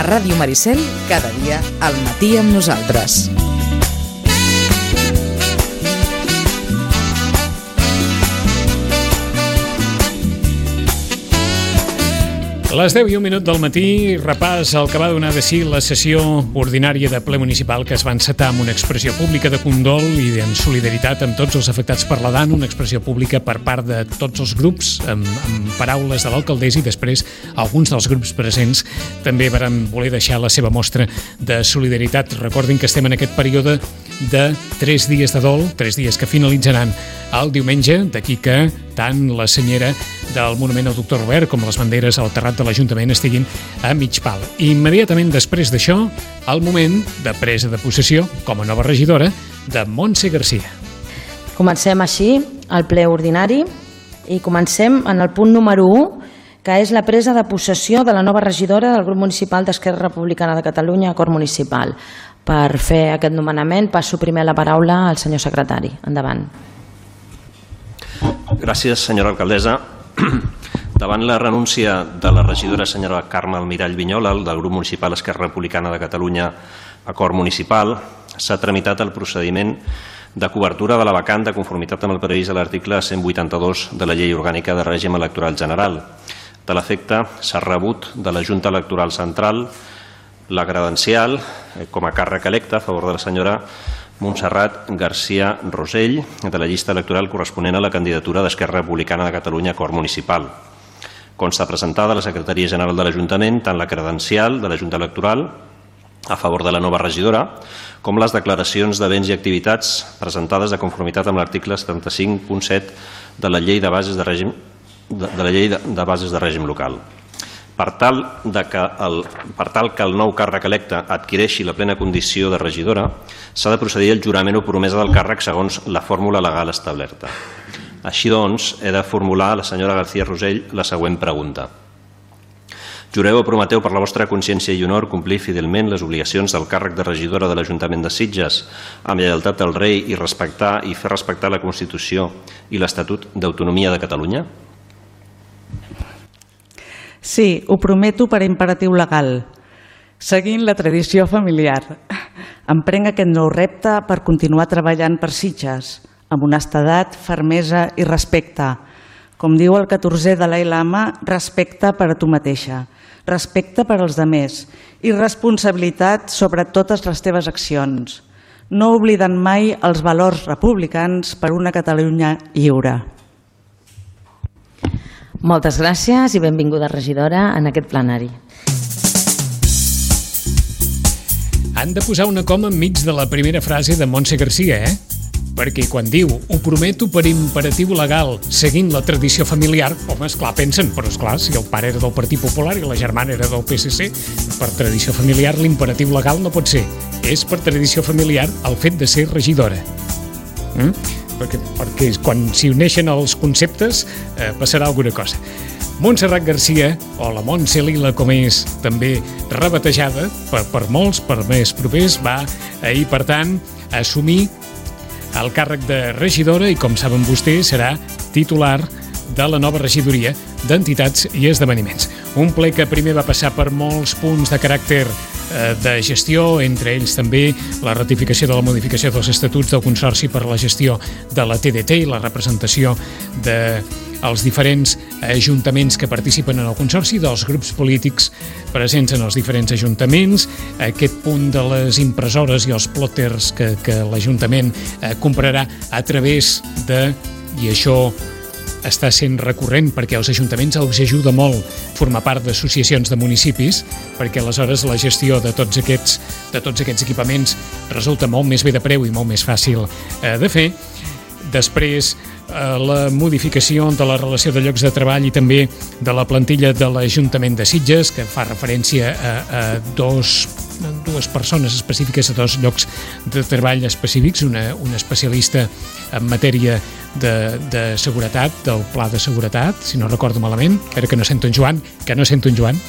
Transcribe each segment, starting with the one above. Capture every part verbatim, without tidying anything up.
A Ràdio Maricel, cada dia al matí amb nosaltres. Les deu i un minut del matí, repàs el que va donar de si la sessió ordinària de ple municipal que es va encetar amb una expressió pública de condol i en solidaritat amb tots els afectats per la D A N, una expressió pública per part de tots els grups, amb, amb paraules de l'alcaldessa, i després alguns dels grups presents també van voler deixar la seva mostra de solidaritat. Recordin que estem en aquest període de tres dies de dol, tres dies que finalitzaran el diumenge, d'aquí que tant la senyera del Monument al Doctor Robert com les banderes al terrat de l'Ajuntament estiguin a mig pal. Immediatament després d'això, el moment de presa de possessió com a nova regidora de Montse Garcia. Comencem així el ple ordinari i comencem en el punt número u, que és la presa de possessió de la nova regidora del grup municipal d'Esquerra Republicana de Catalunya a Cort Municipal. Per fer aquest nomenament passo primer la paraula al senyor secretari. Endavant. Gràcies, senyora alcaldessa. Davant la renúncia de la regidora senyora Carme Almirall Vinyola del grup municipal Esquerra Republicana de Catalunya a Cort Municipal, s'ha tramitat el procediment de cobertura de la vacant de conformitat amb el previst a l'article cent vuitanta-dos de la Llei Orgànica de Règim Electoral General. De l'efecte, s'ha rebut de la Junta Electoral Central la credencial com a càrrec electe a favor de la senyora Montserrat Garcia Rosell, de la llista electoral corresponent a la candidatura d'Esquerra Republicana de Catalunya a Cort Municipal. Consta presentada a la Secretaria General de l'Ajuntament tant la credencial de la Junta Electoral a favor de la nova regidora com les declaracions de béns i activitats presentades de conformitat amb l'article setanta-cinc punt set de la Llei de Bases de Règim, de, de la Llei de, de Bases de Règim Local. Per tal, de que el, per tal que el nou càrrec electe adquireixi la plena condició de regidora, s'ha de procedir al jurament o promesa del càrrec segons la fórmula legal establerta. Així doncs, he de formular a la senyora García Rosell la següent pregunta. Jureu o prometeu per la vostra consciència i honor complir fidelment les obligacions del càrrec de regidora de l'Ajuntament de Sitges amb lleialtat al rei i respectar i fer respectar la Constitució i l'Estatut d'Autonomia de Catalunya? Sí, ho prometo per imperatiu legal. Seguint la tradició familiar, emprenc aquest nou repte per continuar treballant per Sitges, amb honestedat, fermesa i respecte. Com diu el catorzè Dalai Lama, respecte per a tu mateixa, respecte per als demés i responsabilitat sobre totes les teves accions, no oblidant mai els valors republicans per una Catalunya lliure. Moltes gràcies i benvinguda regidora en aquest plenari. Han de posar una coma enmig de la primera frase de Montse Garcia, eh? Perquè quan diu ho prometo per imperatiu legal seguint la tradició familiar, home, esclar, pensen, però esclar, si el pare era del Partit Popular i la germana era del P S C, per tradició familiar l'imperatiu legal no pot ser. És per tradició familiar el fet de ser regidora. Mm? Perquè, perquè quan s'hi uneixen els conceptes eh, passarà alguna cosa. Montserrat Garcia, o la Montse Lila, com és també rebatejada per, per molts, per més propers, va ahir, per tant, assumir el càrrec de regidora i, com saben vostès, serà titular de la nova regidoria d'Entitats i Esdeveniments. Un ple que primer va passar per molts punts de caràcter eh, de gestió, entre ells també la ratificació de la modificació dels estatuts del Consorci per a la gestió de la T D T i la representació dels diferents ajuntaments que participen en el Consorci, dels grups polítics presents en els diferents ajuntaments, aquest punt de les impressores i els plòters que, que l'Ajuntament eh, comprarà a través de, i això està sent recurrent perquè als ajuntaments els ajuda molt formar part d'associacions de municipis, perquè aleshores la gestió de tots aquests, de tots aquests equipaments resulta molt més bé de preu i molt més fàcil eh, de fer. Després, eh, la modificació de la relació de llocs de treball i també de la plantilla de l'Ajuntament de Sitges, que fa referència a, a dos, dues persones específiques, a dos llocs de treball específics, una, una especialista en matèria de, de seguretat, del pla de seguretat, si no recordo malament, espera que no sento en Joan, que no sento en Joan.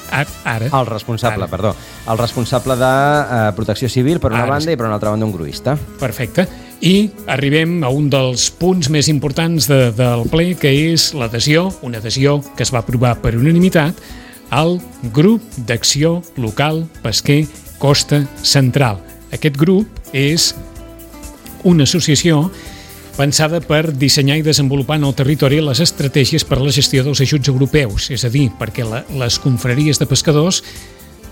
Ara. El responsable, ara. perdó. El responsable de eh, protecció civil per una ara. banda i per una altra banda un gruista. Perfecte. I arribem a un dels punts més importants de, del ple, que és l'adhesió, una adhesió que es va aprovar per unanimitat al Grup d'Acció Local Pesquer Costa Central. Aquest grup és una associació pensada per dissenyar i desenvolupar en el territori les estratègies per a la gestió dels ajuts europeus, és a dir, perquè la, les confraries de pescadors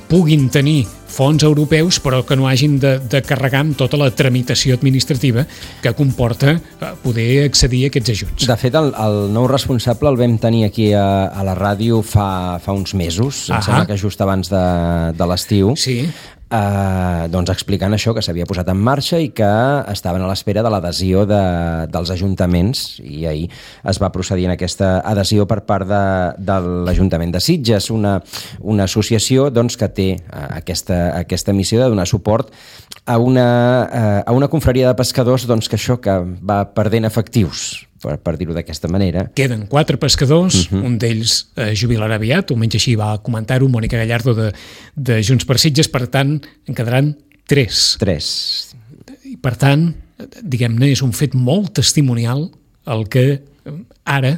puguin tenir fons europeus però que no hagin de, de carregar amb tota la tramitació administrativa que comporta poder accedir a aquests ajuts. De fet, el, el nou responsable el vam tenir aquí a, a la ràdio fa, fa uns mesos, em sembla que just abans de, de l'estiu. Sí. Uh, doncs explicant això, que s'havia posat en marxa i que estaven a l'espera de l'adhesió de, dels ajuntaments, i ahir es va procedir en aquesta adhesió per part de, de l'Ajuntament de Sitges, una, una associació doncs, que té uh, aquesta, aquesta missió de donar suport a una, uh, a una confraria de pescadors doncs, que això que va perdent efectius, per, per dir-ho d'aquesta manera. Queden quatre pescadors, uh-huh. un d'ells eh, jubilarà aviat, almenys així va comentar-ho Mònica Gallardo de, de Junts per Sitges, per tant, en quedaran tres. Tres. I per tant, diguem-ne, és un fet molt testimonial el que ara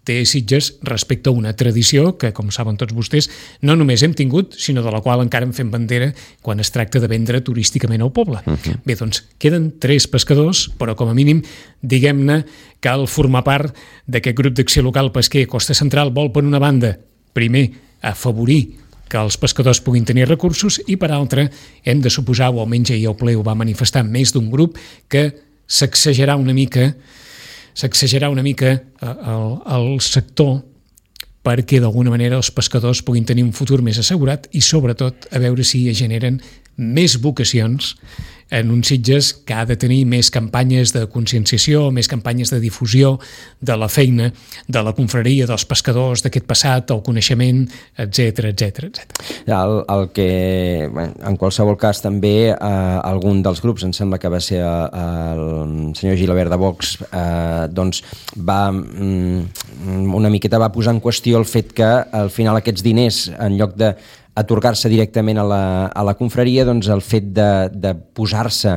té Sitges respecte a una tradició que, com saben tots vostès, no només hem tingut, sinó de la qual encara en fem bandera quan es tracta de vendre turísticament al poble. Uh-huh. Bé, doncs, queden tres pescadors, però com a mínim, diguem-ne, cal formar part d'aquest grup d'acció local pesquer Costa Central vol, per una banda, primer, afavorir que els pescadors puguin tenir recursos i, per altra, hem de suposar, o almenys ahir el ple ho va manifestar més d'un grup, que sacsejarà una mica sacsejarà una mica el, el sector perquè d'alguna manera els pescadors puguin tenir un futur més assegurat i sobretot a veure si es generen més vocacions en un Sitges que ha de tenir més campanyes de conscienciació, més campanyes de difusió de la feina, de la confraria, dels pescadors, d'aquest passat, el coneixement, etcètera, etcètera, etcètera. El, el que, bueno, en qualsevol cas, també eh, algun dels grups, em sembla que va ser el, el senyor Gilabert de Vox, eh, doncs va mm, una miqueta va posar en qüestió el fet que al final aquests diners, en lloc de atorgar-se directament a la, a la confraria, doncs el fet de, de posar-se,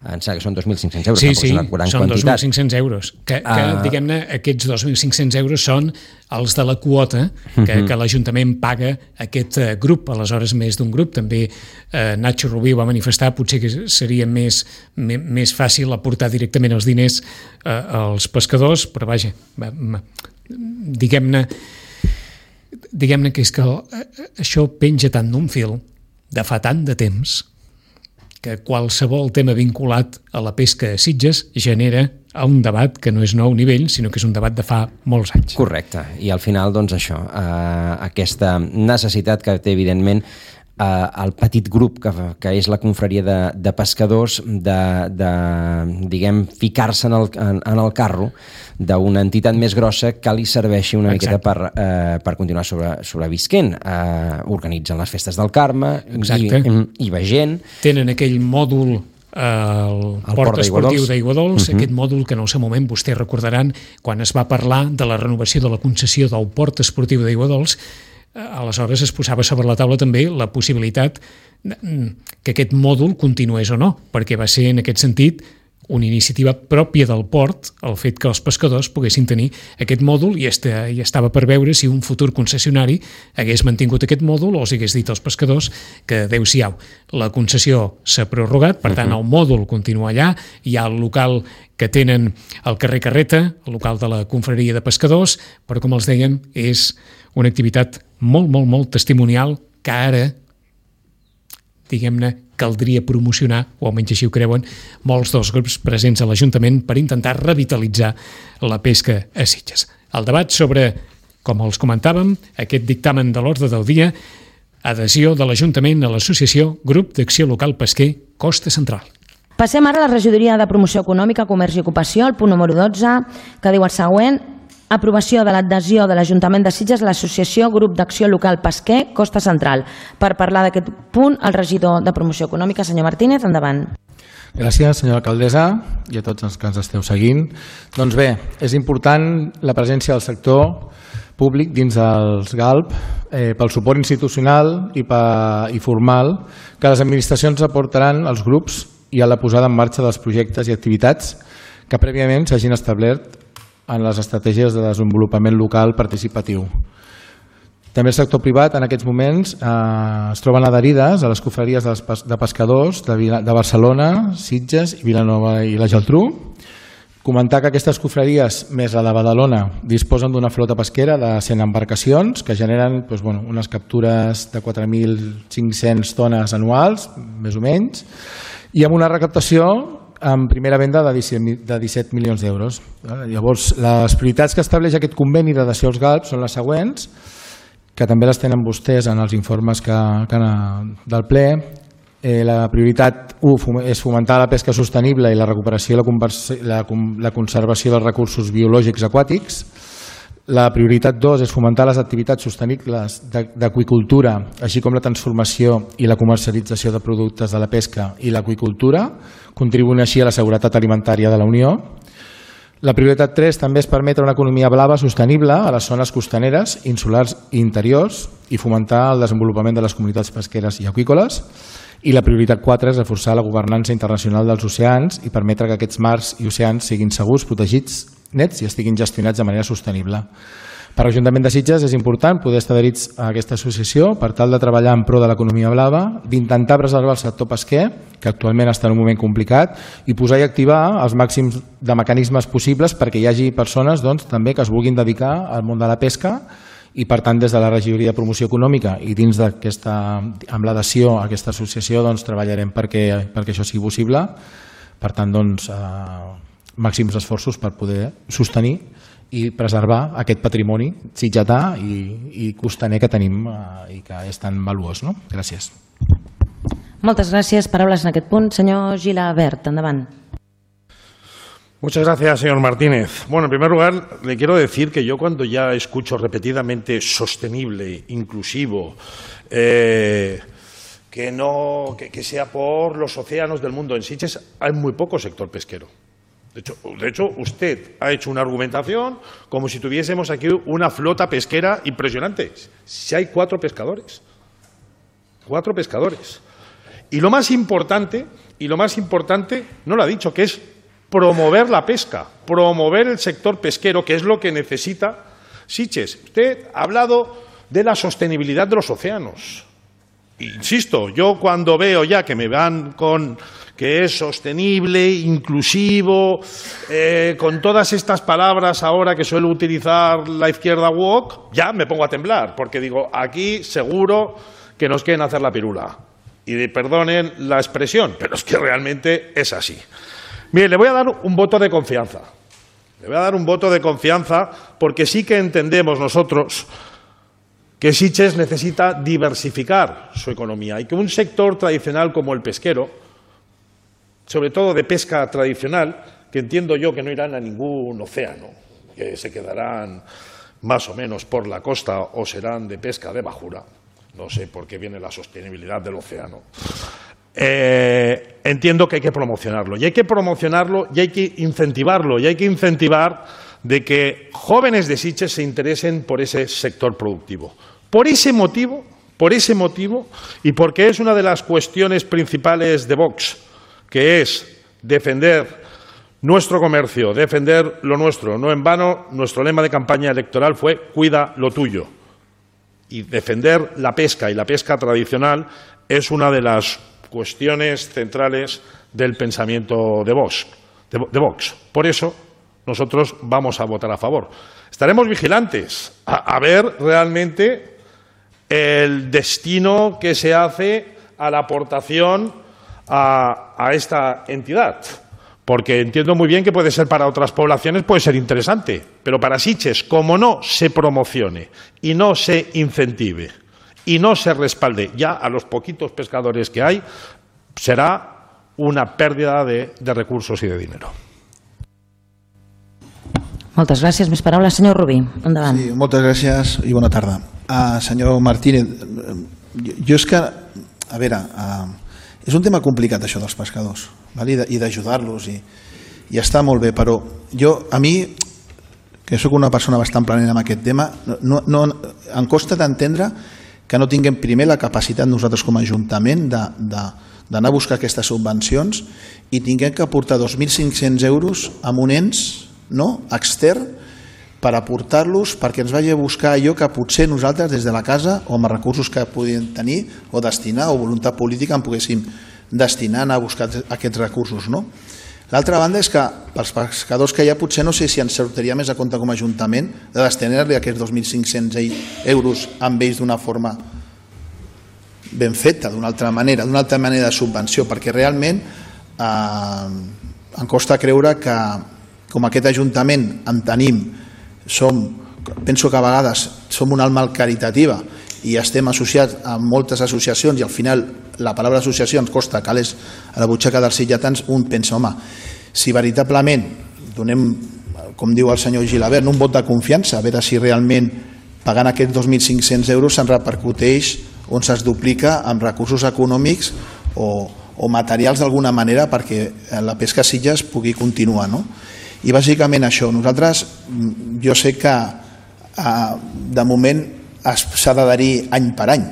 em sembla que són dos mil cinc-cents euros, sí, sí, són quantitat. dos mil cinc-cents euros, que, que uh... diguem-ne, aquests dos mil cinc-cents euros són els de la quota que, uh-huh. que l'Ajuntament paga a aquest uh, grup, aleshores més d'un grup, també uh, Nacho Rubí va manifestar, potser que seria més, més, més fàcil aportar directament els diners uh, als pescadors, però vaja, diguem-ne, diguem-ne que és que això penja tant d'un fil de fa tant de temps que qualsevol tema vinculat a la pesca a Sitges genera un debat que no és nou nivell, sinó que és un debat de fa molts anys. Correcte, i al final, doncs això, eh, aquesta necessitat que té, evidentment, eh, el petit grup que, que és la confraria de, de pescadors de, de diguem, ficar-se en el, en, en el carro d'una entitat més grossa que li serveixi una Exacte. miqueta per, eh, per continuar sobre, sobrevisquent. Eh, organitzen les festes del Carme i, i va gent. Tenen aquell mòdul el, el port, port esportiu d'Aiguadols, uh-huh. aquest mòdul que en el seu moment vostès recordaran quan es va parlar de la renovació de la concessió del port esportiu d'Aiguadols, aleshores es posava sobre la taula també la possibilitat que aquest mòdul continués o no, perquè va ser en aquest sentit una iniciativa pròpia del port, el fet que els pescadors poguessin tenir aquest mòdul i, esta, i estava per veure si un futur concessionari hagués mantingut aquest mòdul o els hagués dit als pescadors que adeu-siau. La concessió s'ha prorrogat, per tant el mòdul continua allà, hi ha el local que tenen al carrer Carreta, el local de la confraria de pescadors, però com els dèiem és una activitat molt, molt, molt testimonial que ara, diguem-ne, caldria promocionar, o almenys així ho creuen, molts dels grups presents a l'Ajuntament per intentar revitalitzar la pesca a Sitges. El debat sobre, com els comentàvem, aquest dictamen de l'ordre del dia, adhesió de l'Ajuntament a l'associació Grup d'Acció Local Pesquer Costa Central. Passem ara a la regidoria de Promoció Econòmica, Comerç i Ocupació, el punt número dotze, que diu el següent: aprovació de l'adhesió de l'Ajuntament de Sitges a l'associació Grup d'Acció Local Pesquer Costa Central. Per parlar d'aquest punt, el regidor de Promoció Econòmica, senyor Martínez, endavant. Gràcies, senyora alcaldessa, i a tots els que ens esteu seguint. Doncs bé, és important la presència del sector públic dins dels G A L P eh, pel suport institucional i, pa, i formal que les administracions aportaran als grups i a la posada en marxa dels projectes i activitats que prèviament s'hagin establert en les estratègies de desenvolupament local participatiu. També el sector privat en aquests moments eh, es troben adherides a les confraries de, de pescadors de, Vila, de Barcelona, Sitges i Vilanova i la Geltrú. Comentar que aquestes confraries, més la de Badalona, disposen d'una flota pesquera de cent embarcacions que generen doncs, bueno, unes captures de quatre mil cinc-centes tones anuals, més o menys, i amb una recaptació en primera venda de disset milions d'euros. Llavors, les prioritats que estableix aquest conveni d'adhesió als galps són les següents, que també les tenen vostès en els informes que, que del ple. Eh, la prioritat u és fomentar la pesca sostenible i la recuperació i la, la, la conservació dels recursos biològics aquàtics. La prioritat dos és fomentar les activitats sostenibles d'aqüicultura, així com la transformació i la comercialització de productes de la pesca i l'aqüicultura, contribuint així a la seguretat alimentària de la Unió. La prioritat tres també és permetre una economia blava sostenible a les zones costaneres, insulars i interiors i fomentar el desenvolupament de les comunitats pesqueres i aqüícoles. I la prioritat quatre és reforçar la governança internacional dels oceans i permetre que aquests mars i oceans siguin segurs, protegits, nets i estiguin gestionats de manera sostenible. Per l'Ajuntament de Sitges és important poder estar adherits a aquesta associació per tal de treballar en pro de l'economia blava, d'intentar preservar el sector pesquer, que actualment està en un moment complicat, i posar i activar els màxims de mecanismes possibles perquè hi hagi persones doncs, també que es vulguin dedicar al món de la pesca i per tant des de la Regidoria de Promoció Econòmica i dins d'aquesta, amb l'adhesió a aquesta associació doncs, treballarem perquè, perquè això sigui possible. Per tant, doncs, eh, màxims esforços per poder sostenir i preservar aquest patrimoni sitgetà i, i costaner que tenim eh, i que és tan valuós. No? Gràcies. Moltes gràcies. Paraules en aquest punt. Senyor Gilabert, endavant. Muchas gracias, señor Martínez. Bueno, en primer lugar, le quiero decir que yo cuando ya escucho repetidamente sostenible, inclusivo, eh, que, no, que, que sea por los océanos del mundo en Sitges, hay muy poco sector pesquero. De hecho, de hecho, usted ha hecho una argumentación como si tuviésemos aquí una flota pesquera impresionante. Si hay cuatro pescadores, cuatro pescadores. Y lo más importante, y lo más importante, no lo ha dicho, que es promover la pesca, promover el sector pesquero, que es lo que necesita Sitges. Usted ha hablado de la sostenibilidad de los océanos. Insisto, yo cuando veo ya que me van con que es sostenible, inclusivo, eh, con todas estas palabras ahora que suele utilizar la izquierda woke, ya me pongo a temblar, porque digo, aquí seguro que nos quieren hacer la pirula. Y perdonen la expresión, pero es que realmente es así. Mire, le voy a dar un voto de confianza. Le voy a dar un voto de confianza porque sí que entendemos nosotros que Sitges necesita diversificar su economía y que un sector tradicional como el pesquero, sobre todo de pesca tradicional, que entiendo yo que no irán a ningún océano, que se quedarán más o menos por la costa o serán de pesca de bajura, no sé por qué viene la sostenibilidad del océano. Eh, entiendo que hay que promocionarlo y hay que promocionarlo y hay que incentivarlo y hay que incentivar de que jóvenes de Sitges se interesen por ese sector productivo. Por ese motivo, por ese motivo y porque es una de las cuestiones principales de Vox, que es defender nuestro comercio, defender lo nuestro. No en vano, nuestro lema de campaña electoral fue cuida lo tuyo. Y defender la pesca y la pesca tradicional es una de las cuestiones centrales del pensamiento de Vox, de, de Vox. Por eso nosotros vamos a votar a favor. Estaremos vigilantes a, a ver realmente el destino que se hace a la aportación a, a esta entidad, porque entiendo muy bien que puede ser para otras poblaciones, puede ser interesante, pero para Sitges, como no se promocione y no se incentive y no se respalde ya a los poquitos pescadores que hay, será una pérdida de, de recursos y de dinero. Moltes gràcies. Més paraules, senyor Rubí. Endavant. Sí, moltes gràcies i bona tarda. Uh, senyor Martínez, jo és que, a veure, uh, és un tema complicat això dels pescadors, val? I d'ajudar-los, i, i està molt bé, però jo, a mi, que sóc una persona bastant planera en aquest tema, no, no, em costa d'entendre que no tinguem primer la capacitat nosaltres com a Ajuntament d'anar a buscar aquestes subvencions i tinguem que aportar dos mil cinc-cents euros a un ens no, extern per aportar-los perquè ens vagi a buscar allò que potser nosaltres des de la casa o amb els recursos que podíem tenir o destinar o voluntat política en poguéssim destinar a buscar aquests recursos. No? L'altra banda és que pels pescadors que hi ha potser no sé si ens sortiria més a compte com a Ajuntament de destinar-li aquests dos mil cinc-cents euros amb ells d'una forma ben feta, d'una altra manera, d'una altra manera de subvenció, perquè realment eh, em costa creure que com aquest Ajuntament en tenim, som, penso que a vegades som una alma caritativa i estem associats a moltes associacions i al final la paraula associació ens costa calés a la butxaca dels sitjatans, un pensa, home, si veritablement donem, com diu el senyor Gilabert, un vot de confiança, a veure si realment pagant aquests dos mil cinc-cents euros se'n repercuteix on se'ls duplica amb recursos econòmics o, o materials d'alguna manera perquè la pesca a Sitges pugui continuar. No? I bàsicament això, nosaltres, jo sé que eh, de moment s'ha d'adherir any per any,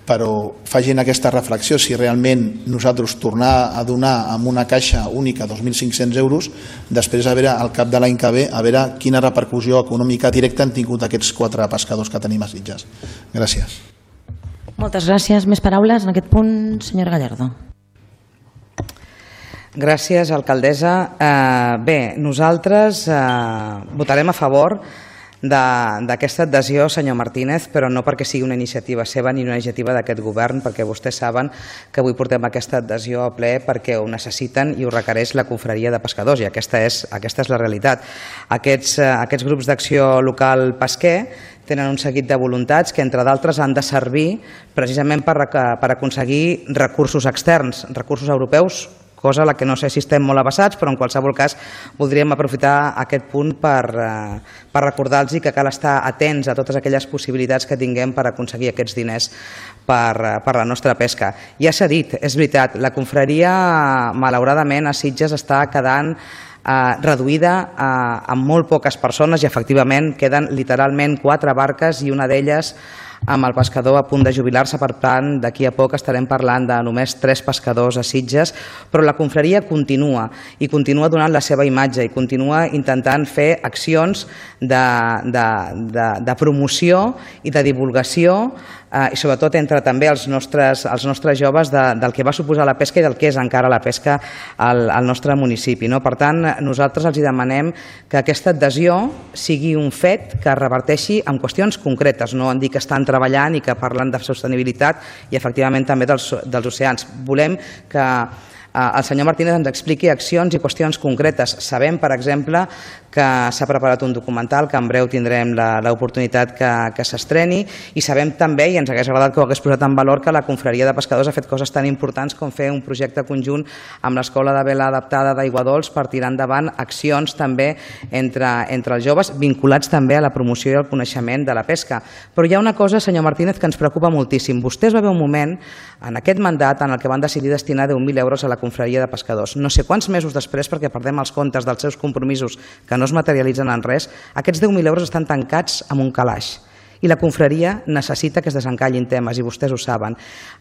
però facin aquesta reflexió si realment nosaltres tornar a donar amb una caixa única dos mil cinc-cents euros, després a veure al cap de l'any que ve a veure quina repercussió econòmica directa han tingut aquests quatre pescadors que tenim a Sitges. Gràcies. Moltes gràcies. Més paraules en aquest punt, senyora Gallardo. Gràcies, alcaldessa. Eh, bé, nosaltres eh, votarem a favor d'aquesta adhesió, senyor Martínez, però no perquè sigui una iniciativa seva ni una iniciativa d'aquest govern, perquè vostès saben que avui portem aquesta adhesió a ple perquè ho necessiten i ho requereix la confraria de pescadors, i aquesta és, aquesta és la realitat. Aquests, aquests grups d'acció local pesquer tenen un seguit de voluntats que, entre d'altres, han de servir precisament per, per aconseguir recursos externs, recursos europeus, cosa a la que no sé si estem molt avasats, però en qualsevol cas voldríem aprofitar aquest punt per, per recordar-los que cal estar atents a totes aquelles possibilitats que tinguem per aconseguir aquests diners per, per la nostra pesca. Ja s'ha dit, és veritat, la confraria malauradament a Sitges està quedant eh, reduïda eh, amb molt poques persones i efectivament queden literalment quatre barques i una d'elles amb el pescador a punt de jubilar-se, per tant, d'aquí a poc estarem parlant de només tres pescadors a Sitges, però la confraria continua i continua donant la seva imatge i continua intentant fer accions de, de, de, de promoció i de divulgació eh, i sobretot entre també els nostres, els nostres joves de, del que va suposar la pesca i del que és encara la pesca al, al nostre municipi. No? Per tant, nosaltres els demanem que aquesta adhesió sigui un fet que reverteixi en qüestions concretes, no en dir que estan treballant i que parlen de sostenibilitat i efectivament també dels, dels oceans. Volem que el senyor Martínez ens expliqui accions i qüestions concretes. Sabem, per exemple, que s'ha preparat un documental que en breu tindrem l'oportunitat que, que s'estreni i sabem també, i ens hagués agradat que ho hagués posat en valor, que la confraria de pescadors ha fet coses tan importants com fer un projecte conjunt amb l'Escola de Vela Adaptada d'Aiguadols per tirar endavant accions també entre, entre els joves vinculats també a la promoció i al coneixement de la pesca. Però hi ha una cosa, senyor Martínez, que ens preocupa moltíssim. Vostès va haver un moment en aquest mandat en el que van decidir destinar deu mil euros a la confraria de pescadors. No sé quants mesos després, perquè perdem els comptes dels seus compromisos que no es materialitzen en res, aquests deu mil euros estan tancats amb un calaix. I la confraria necessita que es desencallin temes, i vostès ho saben.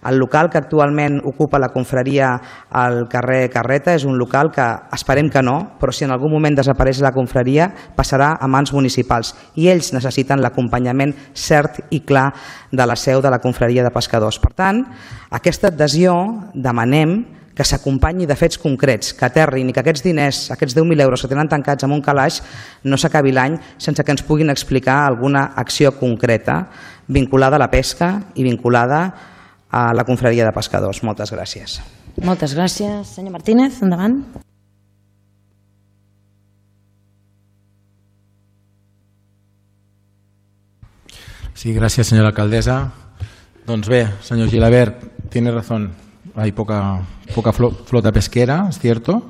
El local que actualment ocupa la confraria al carrer Carreta és un local que esperem que no, però si en algun moment desapareix la confraria passarà a mans municipals i ells necessiten l'acompanyament cert i clar de la seu de la confraria de pescadors. Per tant, aquesta adhesió demanem que s'acompanyi de fets concrets, que aterrin i que aquests diners, aquests deu mil euros que tenen tancats amb un calaix, no s'acabi l'any sense que ens puguin explicar alguna acció concreta vinculada a la pesca i vinculada a la confraria de pescadors. Moltes gràcies. Moltes gràcies. Senyor Martínez, endavant. Sí, gràcies, senyora alcaldessa. Doncs bé, senyor Gilabert, tiene razón. Hay poca, poca flota pesquera, es cierto,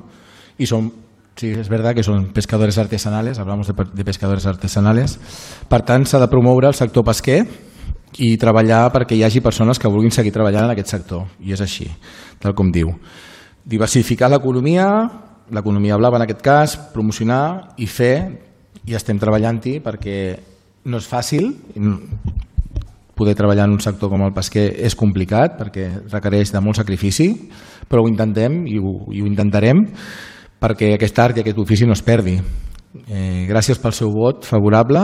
y son, sí, es verdad que son pescadores artesanales, hablamos de, de pescadores artesanales. Per tant, s'ha de promoure el sector pesquer i treballar perquè hi hagi persones que vulguin seguir treballant en aquest sector, i és així, tal com diu. Diversificar l'economia, l'economia blava en aquest cas, promocionar i fer, i estem treballant-hi perquè no és fàcil. Poder treballar en un sector com el pesquer és complicat perquè requereix de molt sacrifici, però ho intentem i ho, i ho intentarem perquè aquest art i aquest ofici no es perdi. Eh, gràcies pel seu vot favorable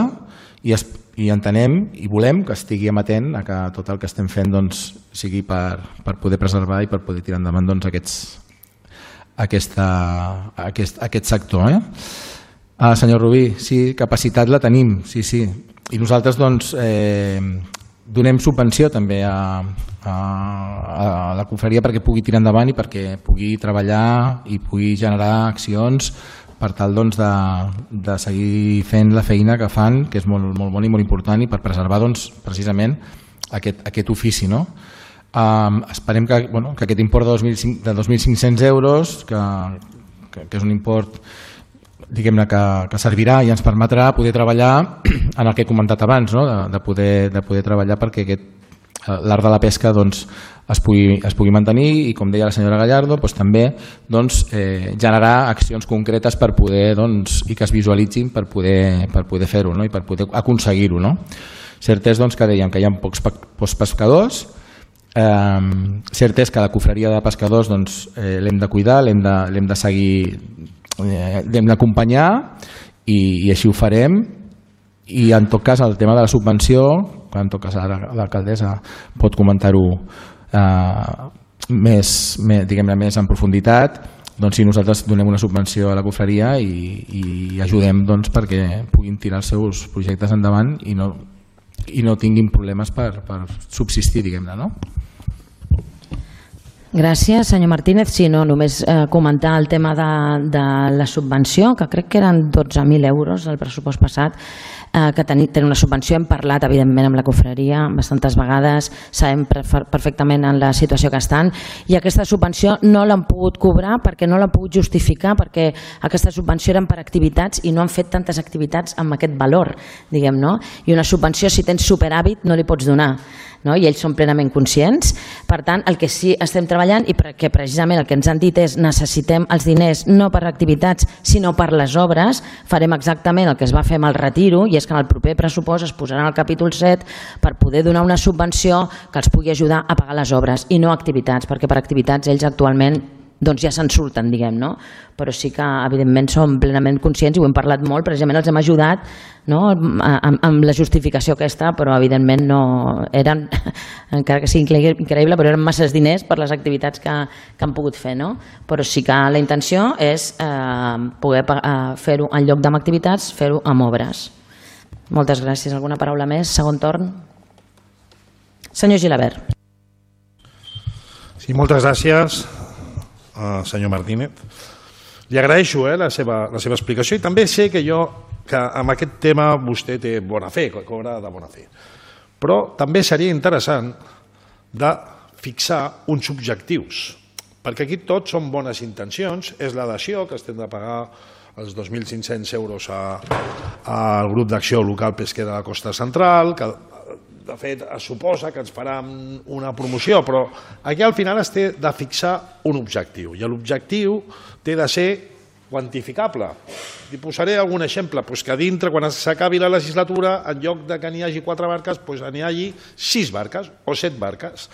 i, es, i entenem i volem que estigui amatent a que tot el que estem fent doncs, sigui per, per poder preservar i per poder tirar endavant doncs, aquests, aquesta, aquest, aquest sector. Eh? Ah, senyor Rubí, sí, capacitat la tenim, sí, sí. I nosaltres doncs, eh, donem subvenció també a, a, a la confraria perquè pugui tirar endavant i perquè pugui treballar i pugui generar accions per tal doncs, de, de seguir fent la feina que fan, que és molt, molt bona i molt important, i per preservar doncs, precisament aquest, aquest ofici. No? Um, esperem que, bueno, que aquest import de dos mil cinc-cents euros, que, que, que és un import diguem-ne que, que servirà i ens permetrà poder treballar en el que he comentat abans, no? de, de, poder, de poder treballar perquè aquest l'art de la pesca doncs, es, pugui, es pugui mantenir i, com deia la senyora Gallardo, doncs, també doncs, eh, generar accions concretes per poder, doncs, i que es visualitzin per poder, per poder fer-ho, no? I per poder aconseguir-ho. No? Cert és doncs, que dèiem que hi ha pocs, pocs pescadors, eh, cert és que la confraria de pescadors doncs, eh, l'hem de cuidar, l'hem de, l'hem de seguir, eh, l'hem d'acompanyar i, i així ho farem. I en tot cas el tema de la subvenció, que en tot cas l'alcaldessa pot comentar-ho eh, més, més, diguem-ne, més en profunditat, doncs si nosaltres donem una subvenció a la confraria i, i ajudem doncs, perquè puguin tirar els seus projectes endavant i no, i no tinguin problemes per, per subsistir, diguem-ne, no? Gràcies, senyor Martínez. Sí, no, només eh, comentar el tema de, de la subvenció, que crec que eren dotze mil euros el pressupost passat, eh, que tenen ten una subvenció. Hem parlat, evidentment, amb la confraria bastantes vegades, sabem perfectament en la situació que estan, i aquesta subvenció no l'han pogut cobrar perquè no l'han pogut justificar, perquè aquesta subvenció eren per activitats i no han fet tantes activitats amb aquest valor, diguem, no? I una subvenció, si tens superàvit, no li pots donar. No? I ells són plenament conscients. Per tant, el que sí estem treballant i que precisament el que ens han dit és necessitem els diners no per activitats sinó per les obres, farem exactament el que es va fer amb el retiro, i és que en el proper pressupost es posarà en el capítol set per poder donar una subvenció que els pugui ajudar a pagar les obres i no activitats, perquè per activitats ells actualment doncs ja se'n surten, diguem, no? Però sí que evidentment som plenament conscients i ho hem parlat molt, precisament els hem ajudat, no? amb, amb la justificació aquesta, però evidentment no eren, encara que sigui increïble, però eren masses diners per les activitats que, que han pogut fer, no? Però sí que la intenció és eh, poder eh, fer-ho en lloc d'amb activitats, fer-ho amb obres. Moltes gràcies. Alguna paraula més? Segon torn. Senyor Gilabert. Sí, moltes gràcies. Uh, senyor Martínez, li agraeixo eh, la, seva, la seva explicació, i també sé que jo que amb aquest tema vostè té bona fe, que cobra de bona fe, però també seria interessant de fixar uns objectius, perquè aquí tots són bones intencions, és la dació que estem de pagar els dos mil cinc-cents euros a, al grup d'acció local pesquer de la Costa Central, que de fet es suposa que ens faran una promoció, però aquí al final es té de fixar un objectiu, i l'objectiu té de ser quantificable. I posaré algun exemple, doncs que dintre, quan s'acabi la legislatura, en lloc de que n'hi hagi quatre barques, doncs n'hi hagi sis barques o set barques.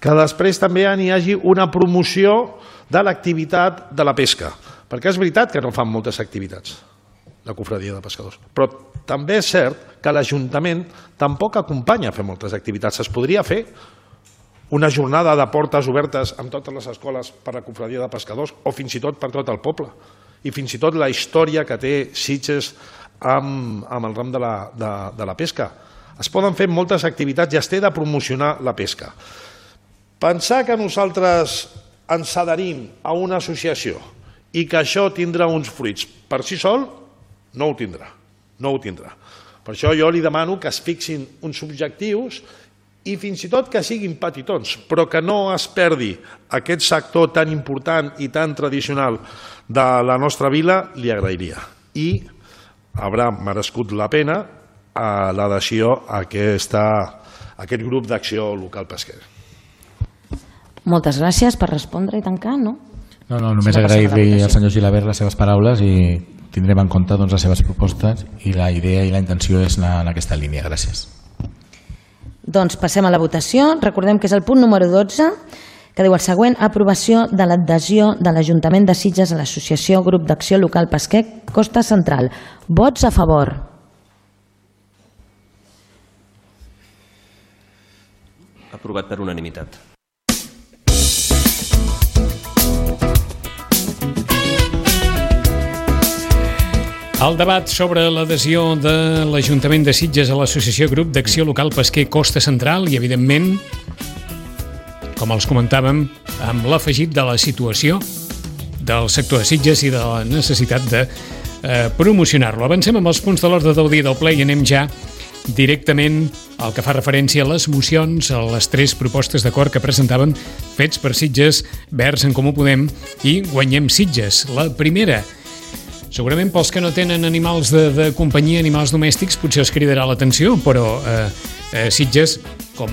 Que després també n'hi hagi una promoció de l'activitat de la pesca, perquè és veritat que no fan moltes activitats la confraria de pescadors, però també és cert que l'Ajuntament tampoc acompanya a fer moltes activitats. Es podria fer una jornada de portes obertes amb totes les escoles per la confraria de pescadors, o fins i tot per tot el poble, i fins i tot la història que té Sitges amb, amb el ram de la, de, de la pesca. Es poden fer moltes activitats i es té de promocionar la pesca. Pensar que nosaltres ens adherim a una associació i que això tindrà uns fruits per si sol, no ho tindrà, no ho tindrà. Per això jo li demano que es fixin uns objectius i fins i tot que siguin petitons, però que no es perdi aquest sector tan important i tan tradicional de la nostra vila, li agrairia. I haurà merescut la pena l'adhesió a aquesta, a aquest grup d'acció local pesquera. Moltes gràcies per respondre i tancar, no? No, no, només agrair-li al senyor Gilabert les seves paraules i tindrem en compte doncs, les seves propostes, i la idea i la intenció és anar en aquesta línia. Gràcies. Doncs passem a la votació. Recordem que és el punt número dotze, que diu el següent: aprovació de l'adhesió de l'Ajuntament de Sitges a l'Associació Grup d'Acció Local Pesquer Costa Central. Vots a favor. Aprovat per unanimitat. El debat sobre l'adhesió de l'Ajuntament de Sitges a l'Associació Grup d'Acció Local Pesquer Costa Central i, evidentment, com els comentàvem, amb l'afegit de la situació del sector de Sitges i de la necessitat de eh, promocionar-lo. Avancem amb els punts de l'ordre del dia del ple i anem ja directament al que fa referència a les mocions, a les tres propostes d'acord que presentaven Fets per Sitges, Verds en Comú Podem i Guanyem Sitges. La primera, segurament pels que no tenen animals de, de companyia, animals domèstics, potser els cridarà l'atenció, però eh, eh, Sitges, com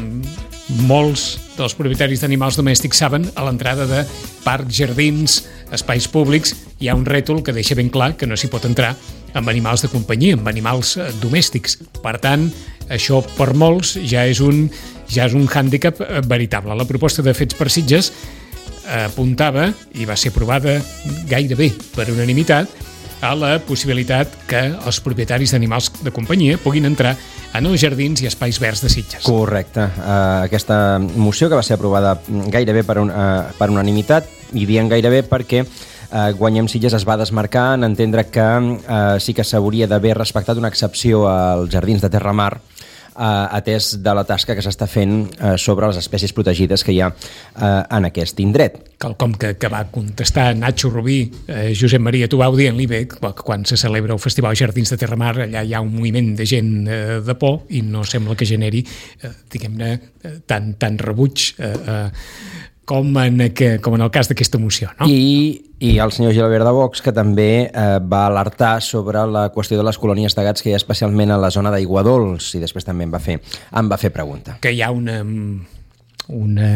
molts dels propietaris d'animals domèstics saben, a l'entrada de parcs, jardins, espais públics, hi ha un rètol que deixa ben clar que no s'hi pot entrar amb animals de companyia, amb animals eh, domèstics. Per tant, això per molts ja és un, ja és un hàndicap eh, veritable. La proposta de Fets per Sitges eh, apuntava, i va ser aprovada gairebé per unanimitat, a la possibilitat que els propietaris d'animals de companyia puguin entrar en els jardins i espais verds de Sitges. Correcte. Uh, aquesta moció que va ser aprovada gairebé per, un, uh, per unanimitat, i diem gairebé perquè uh, Guanyem Sitges es va desmarcar en entendre que uh, sí que s'hauria d'haver respectat una excepció als jardins de Terramar, Uh, atès de la tasca que s'està fent uh, sobre les espècies protegides que hi ha uh, en aquest indret. Quelcom que, que va contestar Nacho Rubí, eh, Josep Maria, tu vau dient-li bé, quan se celebra el Festival Jardins de Terramar, allà hi ha un moviment de gent eh, de por i no sembla que generi, eh, diguem-ne, eh, tant, tant rebuig eh, eh, com, en, que, com en el cas d'aquesta moció, no? I I el senyor Gilbert de Vox, que també eh, va alertar sobre la qüestió de les colònies de gats que hi ha especialment a la zona d'Aiguadols, i després també em va fer, em va fer pregunta. Que hi ha una, una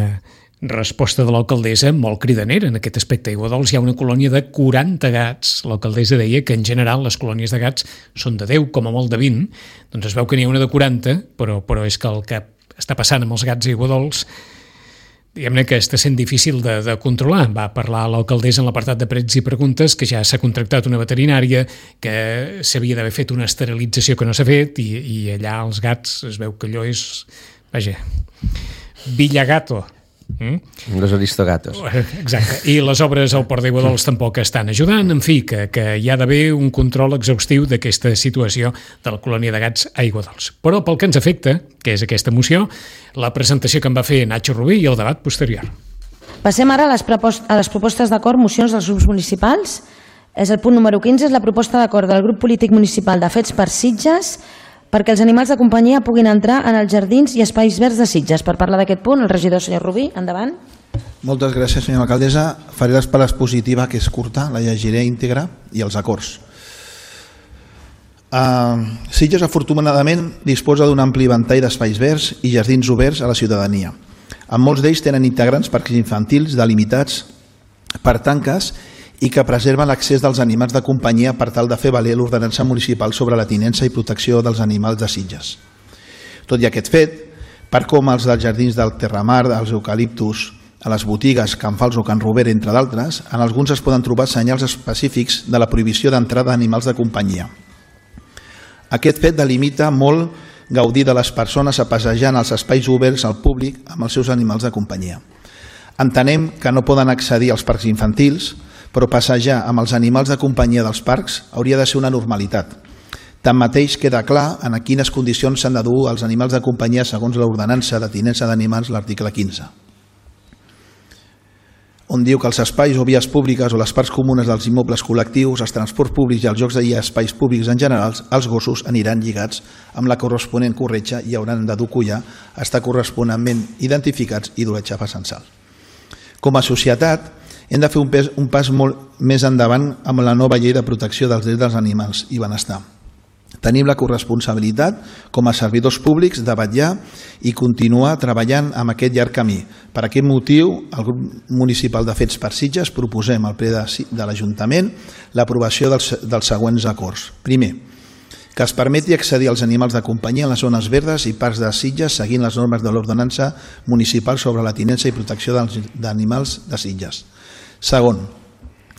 resposta de l'alcaldessa molt cridanera en aquest aspecte. A Aiguadols hi ha una colònia de quaranta gats. L'alcaldessa deia que en general les colònies de gats són de deu, com a molt de vint. Doncs es veu que n'hi ha una de quaranta, però, però és que el que està passant amb els gats a Aiguadols, diguem-ne que està sent difícil de, de controlar. Va parlar l'alcaldessa en l'apartat de prets i preguntes que ja s'ha contractat una veterinària, que s'havia d'haver fet una esterilització que no s'ha fet, i, i allà els gats es veu que allò és, vaja, Villagato. Mm? Los aristogatos. Exacte. I les obres al Port d'Aiguadols tampoc estan ajudant. En fi, que, que hi ha d'haver un control exhaustiu d'aquesta situació de la colònia de gats a Aiguadols. Però pel que ens afecta, que és aquesta moció, la presentació que en va fer Nacho Rubí i el debat posterior. Passem ara a les, a les propostes d'acord, mocions dels grups municipals. És el punt número quinze, és la proposta d'acord del grup polític municipal de Fets per Sitges perquè els animals de companyia puguin entrar en els jardins i espais verds de Sitges. Per parlar d'aquest punt, el regidor senyor Rubí, endavant. Moltes gràcies, senyora alcaldessa. Faré l'espasa positiva, que és curta, la llegiré íntegra, i els acords. Uh, Sitges, afortunadament, disposa d'un ampli ventall d'espais verds i jardins oberts a la ciutadania. En molts d'ells tenen integrants parcs infantils delimitats per tanques i que preserven l'accés dels animals de companyia per tal de fer valer l'ordenança municipal sobre la tinença i protecció dels animals de Sitges. Tot i aquest fet, per com els dels jardins del Terramar, als eucaliptus, a les botigues, Can Fals o Can Rober, entre d'altres, en alguns es poden trobar senyals específics de la prohibició d'entrada d'animals de companyia. Aquest fet delimita molt gaudir de les persones a passejar en els espais oberts al públic amb els seus animals de companyia. Entenem que no poden accedir als parcs infantils, però passejar amb els animals de companyia dels parcs hauria de ser una normalitat. Tanmateix queda clar en a quines condicions s'han de dur els animals de companyia segons l'ordenança de tinença d'animals, l'article quinze, on diu que els espais o vies públiques o les parts comunes dels immobles col·lectius, els transports públics i els jocs i espais públics en general, els gossos aniran lligats amb la corresponent corretja i hauran de dur collar, estar corresponentment identificats i dur xapa censal. Com a societat, hem de fer un, pes, un pas molt més endavant amb la nova llei de protecció dels drets dels animals i benestar. Tenim la corresponsabilitat com a servidors públics de vetllar i continuar treballant amb aquest llarg camí. Per aquest motiu, el grup municipal de Fets per Sitges proposem al ple de, de l'Ajuntament l'aprovació dels, dels següents acords. Primer, que es permeti accedir als animals de companyia en les zones verdes i parcs de Sitges seguint les normes de l'ordenança municipal sobre la tinença i protecció d'animals de Sitges. Segon,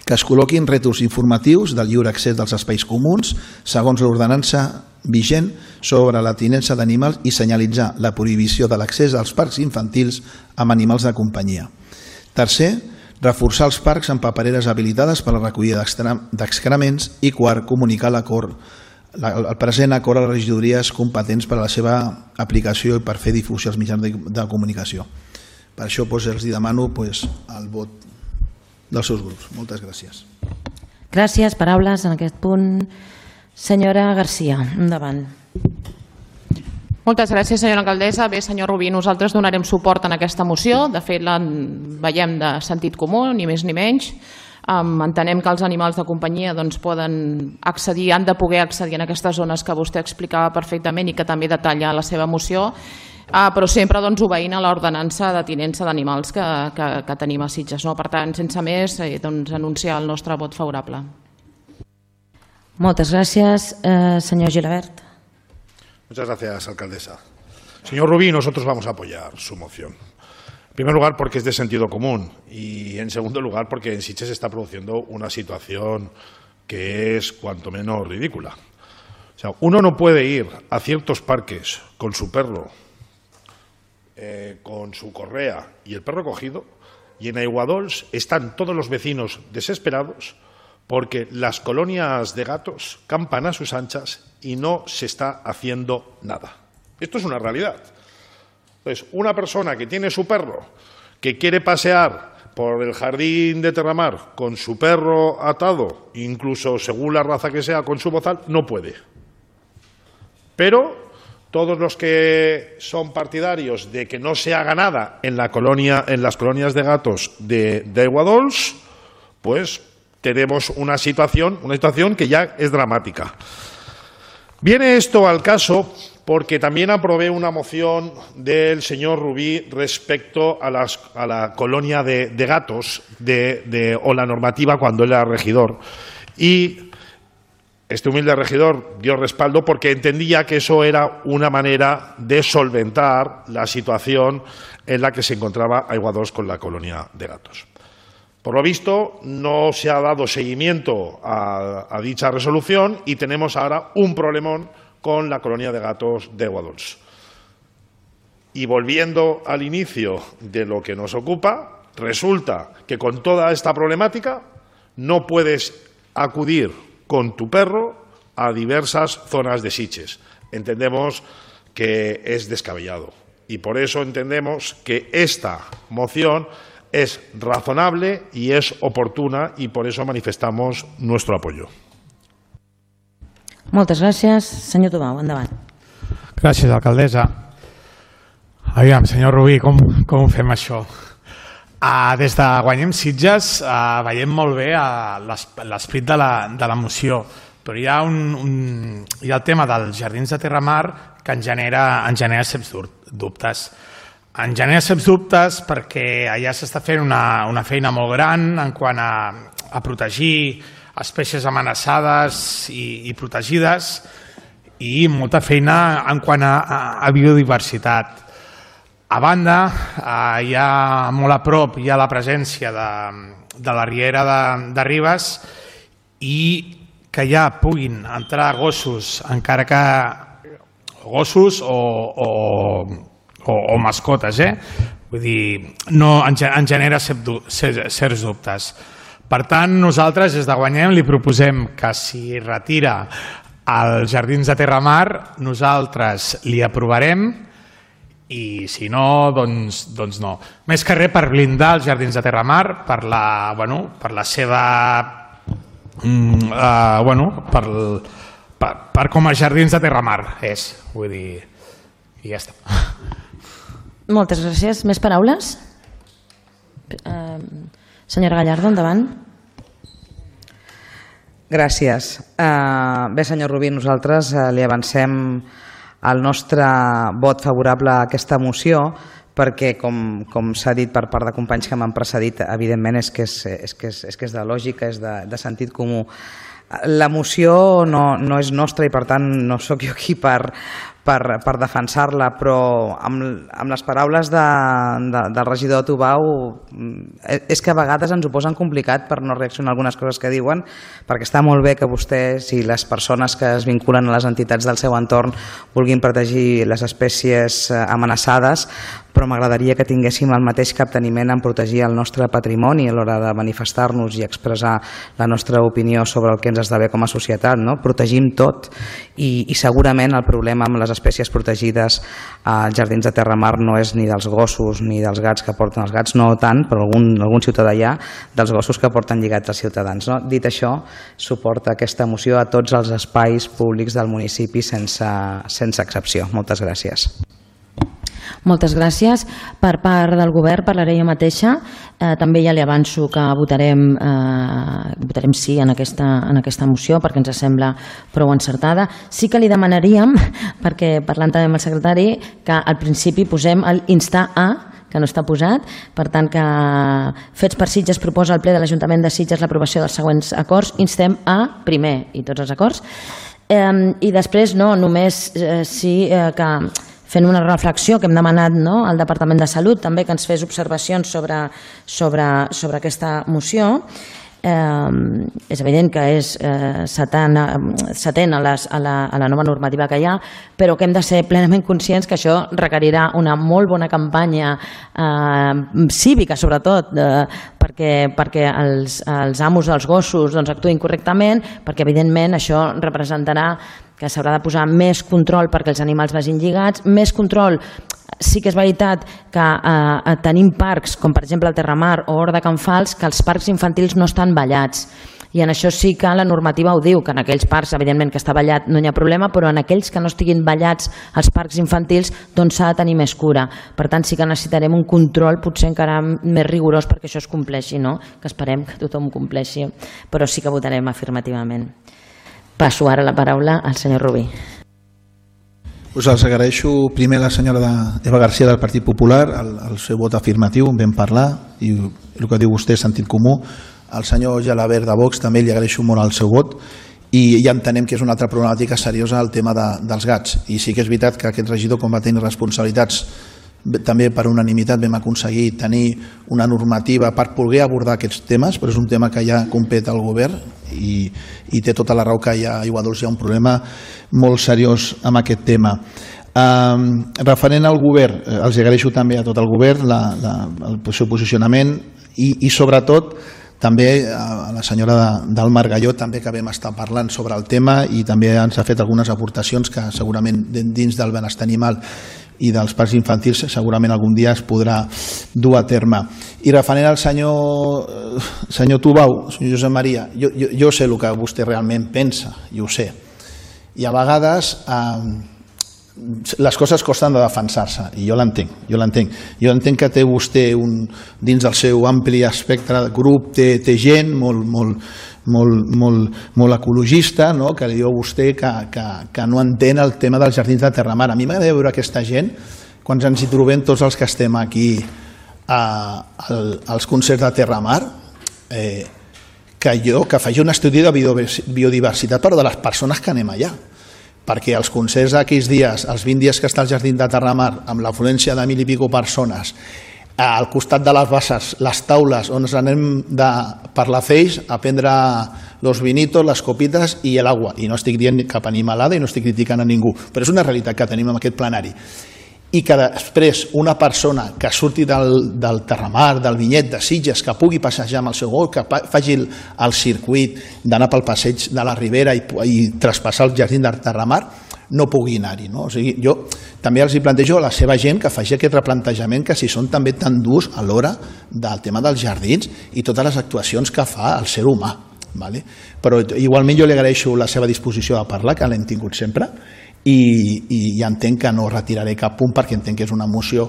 que es col·loquin rètols informatius del lliure accés dels espais comuns segons l'ordenança vigent sobre la tinença d'animals i senyalitzar la prohibició de l'accés als parcs infantils amb animals de companyia. Tercer, reforçar els parcs amb papereres habilitades per a la recollida d'excrements i quart, comunicar l'acord el present acord a les regidories competents per a la seva aplicació i per fer difusió als mitjans de comunicació. Per això els demano el vot dels seus grups. Moltes gràcies. Gràcies. Paraules en aquest punt. Senyora Garcia, endavant. Moltes gràcies, senyora alcaldessa. Bé, senyor Rubí, nosaltres donarem suport en aquesta moció. De fet, la veiem de sentit comú, ni més ni menys. Entenem que els animals de companyia poden accedir, han de poder accedir en aquestes zones que vostè explicava perfectament i que també detalla la seva moció, però sempre obeint a l'ordenança de tinença d'animals que tenim a Sitges. Per tant, sense més, anunciar el nostre vot favorable. Moltes gràcies. Senyor Gilabert. Muchas gracias, alcaldesa. Señor Rubí, nosotros vamos a apoyar su moción. En primer lugar, porque es de sentido común y, en segundo lugar, porque en Sitges se está produciendo una situación que es cuanto menos ridícula. O sea, uno no puede ir a ciertos parques con su perro, eh, con su correa y el perro cogido, y en Aiguadols están todos los vecinos desesperados porque las colonias de gatos campan a sus anchas y no se está haciendo nada. Esto es una realidad. Entonces, una persona que tiene su perro, que quiere pasear por el jardín de Terramar con su perro atado, incluso según la raza que sea, con su bozal, no puede. Pero todos los que son partidarios de que no se haga nada en, la colonia, en las colonias de gatos de, de Aiguadols, pues tenemos una situación, una situación que ya es dramática. Viene esto al caso porque también aprobé una moción del señor Rubí respecto a, las, a la colonia de, de gatos de, de, o la normativa cuando él era regidor. Y este humilde regidor dio respaldo porque entendía que eso era una manera de solventar la situación en la que se encontraba Aiguadols con la colonia de gatos. Por lo visto, no se ha dado seguimiento a, a dicha resolución y tenemos ahora un problemón con la colonia de gatos de Aiguadols. Y volviendo al inicio de lo que nos ocupa, resulta que con toda esta problemática no puedes acudir con tu perro a diversas zonas de Sitges. Entendemos que es descabellado y por eso entendemos que esta moción es razonable y es oportuna y por eso manifestamos nuestro apoyo. Moltes gràcies. Senyor Tomau, endavant. Gràcies, alcaldessa. Aviam, senyor Rubí, com, com fem això? Uh, des de Guanyem Sitges uh, veiem molt bé uh, l'esperit de, la, de la moció, però hi ha, un, un, hi ha el tema dels jardins de Terramar que ens genera, ens genera certs dubtes. En genera certs dubtes perquè allà s'està fent una, una feina molt gran en quant a, a protegir espècies amenaçades i, i protegides i molta feina en quant a, a, a biodiversitat. A banda, eh, hi ha molt a prop hi ha la presència de, de la riera de, de Ribes i que ja puguin entrar gossos, encara que gossos o, o, o, o mascotes, eh? Vull dir, no, en, en genera certs dubtes. Per tant, nosaltres des de Guanyem li proposem que si retira els jardins de Terramar, nosaltres li aprovarem i si no, doncs, doncs no. Més que res per blindar els jardins de Terramar, per la, bueno, per la seva... Mm, uh, bueno, per, per, per com a jardins de Terramar és, vull dir, i ja està. Moltes gràcies. Més paraules? Uh, senyora Gallardo, endavant. Gràcies. Uh, bé, senyor Rubí, nosaltres uh, li avancem el nostre vot favorable a aquesta moció perquè, com, com s'ha dit per part de companys que m'han precedit, evidentment és que és, és, que és, és, que és de lògica, és de, de sentit comú. La moció no, no és nostra i per tant no sóc jo aquí per, per, per defensar-la, però amb, amb les paraules de, de, del regidor Tubau és que a vegades ens ho posen complicat per no reaccionar a algunes coses que diuen, perquè està molt bé que vostès i les persones que es vinculen a les entitats del seu entorn vulguin protegir les espècies amenaçades, però m'agradaria que tinguéssim el mateix capteniment en protegir el nostre patrimoni a l'hora de manifestar-nos i expressar la nostra opinió sobre el que ens esdevé com a societat. No? Protegim tot i, i segurament el problema amb les espècies protegides als jardins de Terramar no és ni dels gossos ni dels gats que porten els gats, no tant, però algun, algun ciutadà hi ha, dels gossos que porten lligats els ciutadans. No? Dit això, suporta aquesta moció a tots els espais públics del municipi sense, sense excepció. Moltes gràcies. Moltes gràcies. Per part del govern parlaré jo mateixa. Eh, també ja li avanço que votarem, eh, votarem sí en aquesta, en aquesta moció perquè ens sembla prou encertada. Sí que li demanaríem, perquè parlant també amb el secretari, que al principi posem l'instar a, que no està posat, per tant que Fets per Sitges proposa al ple de l'Ajuntament de Sitges l'aprovació dels següents acords, instem a primer i tots els acords, eh, i després no, només eh, sí eh, que fent una reflexió que hem demanat no, al Departament de Salut, també que ens fes observacions sobre, sobre, sobre aquesta moció. Eh, és evident que és eh, setent a, les, a, la, a la nova normativa que hi ha, però que hem de ser plenament conscients que això requerirà una molt bona campanya eh, cívica, sobretot, eh, perquè, perquè els, els amos dels gossos doncs, actuïn correctament, perquè evidentment això representarà que s'haurà de posar més control perquè els animals vagin lligats, més control. Sí que és veritat que eh, tenim parcs, com per exemple el Terramar o Hort de Can Fals, que els parcs infantils no estan ballats. I en això sí que la normativa ho diu, que en aquells parcs, evidentment que està ballat no hi ha problema, però en aquells que no estiguin ballats als parcs infantils, doncs s'ha de tenir més cura. Per tant, sí que necessitarem un control potser encara més rigorós perquè això es compleixi, no? Que esperem que tothom compleixi, però sí que votarem afirmativament. Passo ara la paraula al senyor Rubí. Us els agraeixo primer a la senyora Eva García del Partit Popular, el, el seu vot afirmatiu, en vam parlar, i el que diu vostè és sentit comú. Al senyor Gelabert de Vox també li agraeixo molt el seu vot, i ja entenem que és una altra problemàtica seriosa el tema de, dels gats. I sí que és veritat que aquest regidor, com va tenir responsabilitats, també per unanimitat vam aconseguir tenir una normativa per poder abordar aquests temes, però és un tema que ja compet al govern i, i té tota la raó que hi ha, a Aiguadols hi ha un problema molt seriós amb aquest tema. Um, referent al govern, els agraeixo també a tot el govern la, la, el seu posicionament i, i sobretot també a la senyora de, del Margalló, també que vam estar parlant sobre el tema i també ens ha fet algunes aportacions que segurament dins del benestar animal i dels parcs infantils segurament algun dia es podrà dur a terme. I referent al senyor, senyor Tubau, senyor Josep Maria, jo, jo, jo sé el que vostè realment pensa, i ho sé. I a vegades eh, les coses costen de defensar-se, i jo l'entenc, jo l'entenc. Jo entenc que té vostè un, dins del seu ampli espectre de grup, té, té gent molt, molt, molt, molt, molt ecologista, no? Que li diu a vostè que, que, que no entén el tema dels jardins de Terramar. A mi m'agradaria veure aquesta gent, quan ens hi trobem tots els que estem aquí a, a, als concerts de Terramar, eh, que jo que faci un estudi de biodiversitat però de les persones que anem allà. Perquè els concerts d'aquells dies, els vint dies que està al jardí de Terramar, amb l'afluència de mil i pico persones, al costat de les basses, les taules on ens anem de, per la feix a prendre los vinitos, les copites i l'aigua. I no estic dient cap animalada i no estic criticant a ningú, però és una realitat que tenim en aquest plenari. I que després una persona que surti del, del Terramar, del Vinyet, de Sitges, que pugui passejar amb el seu gos, que faci el, el circuit d'anar pel passeig de la Ribera i, i traspassar el jardí de Terramar, no pugui anar-hi. No? O sigui, jo també els hi plantejo a la seva gent que faci aquest replantejament, que si són també tan durs a l'hora del tema dels jardins i totes les actuacions que fa el ser humà. Vale? Però igualment jo li agraeixo la seva disposició a parlar, que l'hem tingut sempre, i, i ja entenc que no retiraré cap punt perquè entenc que és una moció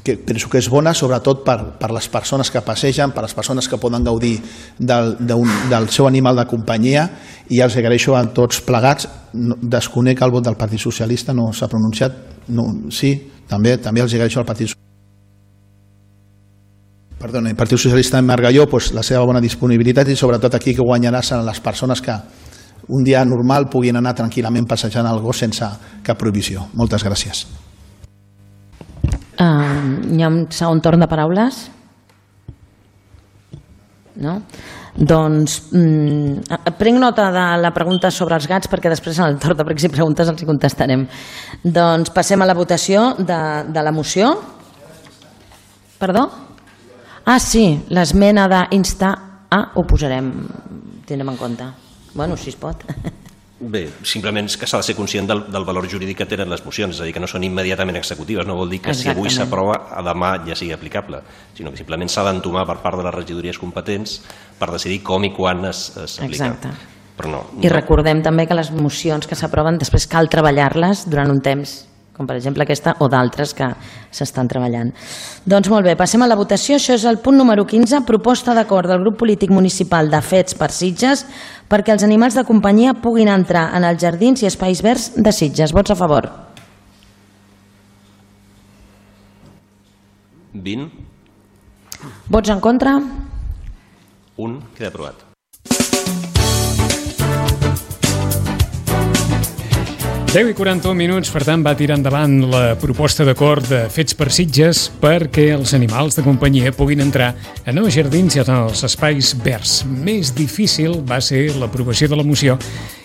que penso que és bona, sobretot per, per les persones que passegen, per les persones que poden gaudir del, un, del seu animal de companyia, i els agraeixo a tots plegats. No, desconec el vot del Partit Socialista, no s'ha pronunciat, no, sí, també, també els agraeixo al Partit Socialista. Perdona, el Partit Socialista en Margalló, pues, la seva bona disponibilitat, i sobretot aquí que guanyarà seran les persones que un dia normal puguin anar tranquil·lament passejant el gos sense cap prohibició. Moltes gràcies. Uh, hi ha un segon torn de paraules? No? Doncs mm, prenc nota de la pregunta sobre els gats perquè després en el torn de pregs i preguntes els hi contestarem. Doncs passem a la votació de, de la moció. Perdó? Ah, sí, l'esmena d'instar a ho posarem, tindrem en compte. Bueno, si es pot. Bé, simplement és que s'ha de ser conscient del, del valor jurídic que tenen les mocions, és a dir, que no són immediatament executives, no vol dir que Exactament. Si avui s'aprova a demà ja sigui aplicable, sinó que simplement s'ha d'entomar per part de les regidories competents per decidir com i quan s'aplica. Exacte. Però no, I no. recordem també que les mocions que s'aproven després cal treballar-les durant un temps, com per exemple aquesta o d'altres que s'estan treballant. Doncs molt bé, passem a la votació. Això és el punt número quinze, proposta d'acord del grup polític municipal de Fets per Sitges perquè els animals de companyia puguin entrar en els jardins i espais verds de Sitges. Vots a favor? vint. Vots en contra? un. Queda aprovat. deu i quaranta-un minuts, per tant, va tirar endavant la proposta d'acord de Fets per Sitges perquè els animals de companyia puguin entrar en els jardins i en els espais verds. Més difícil va ser l'aprovació de la moció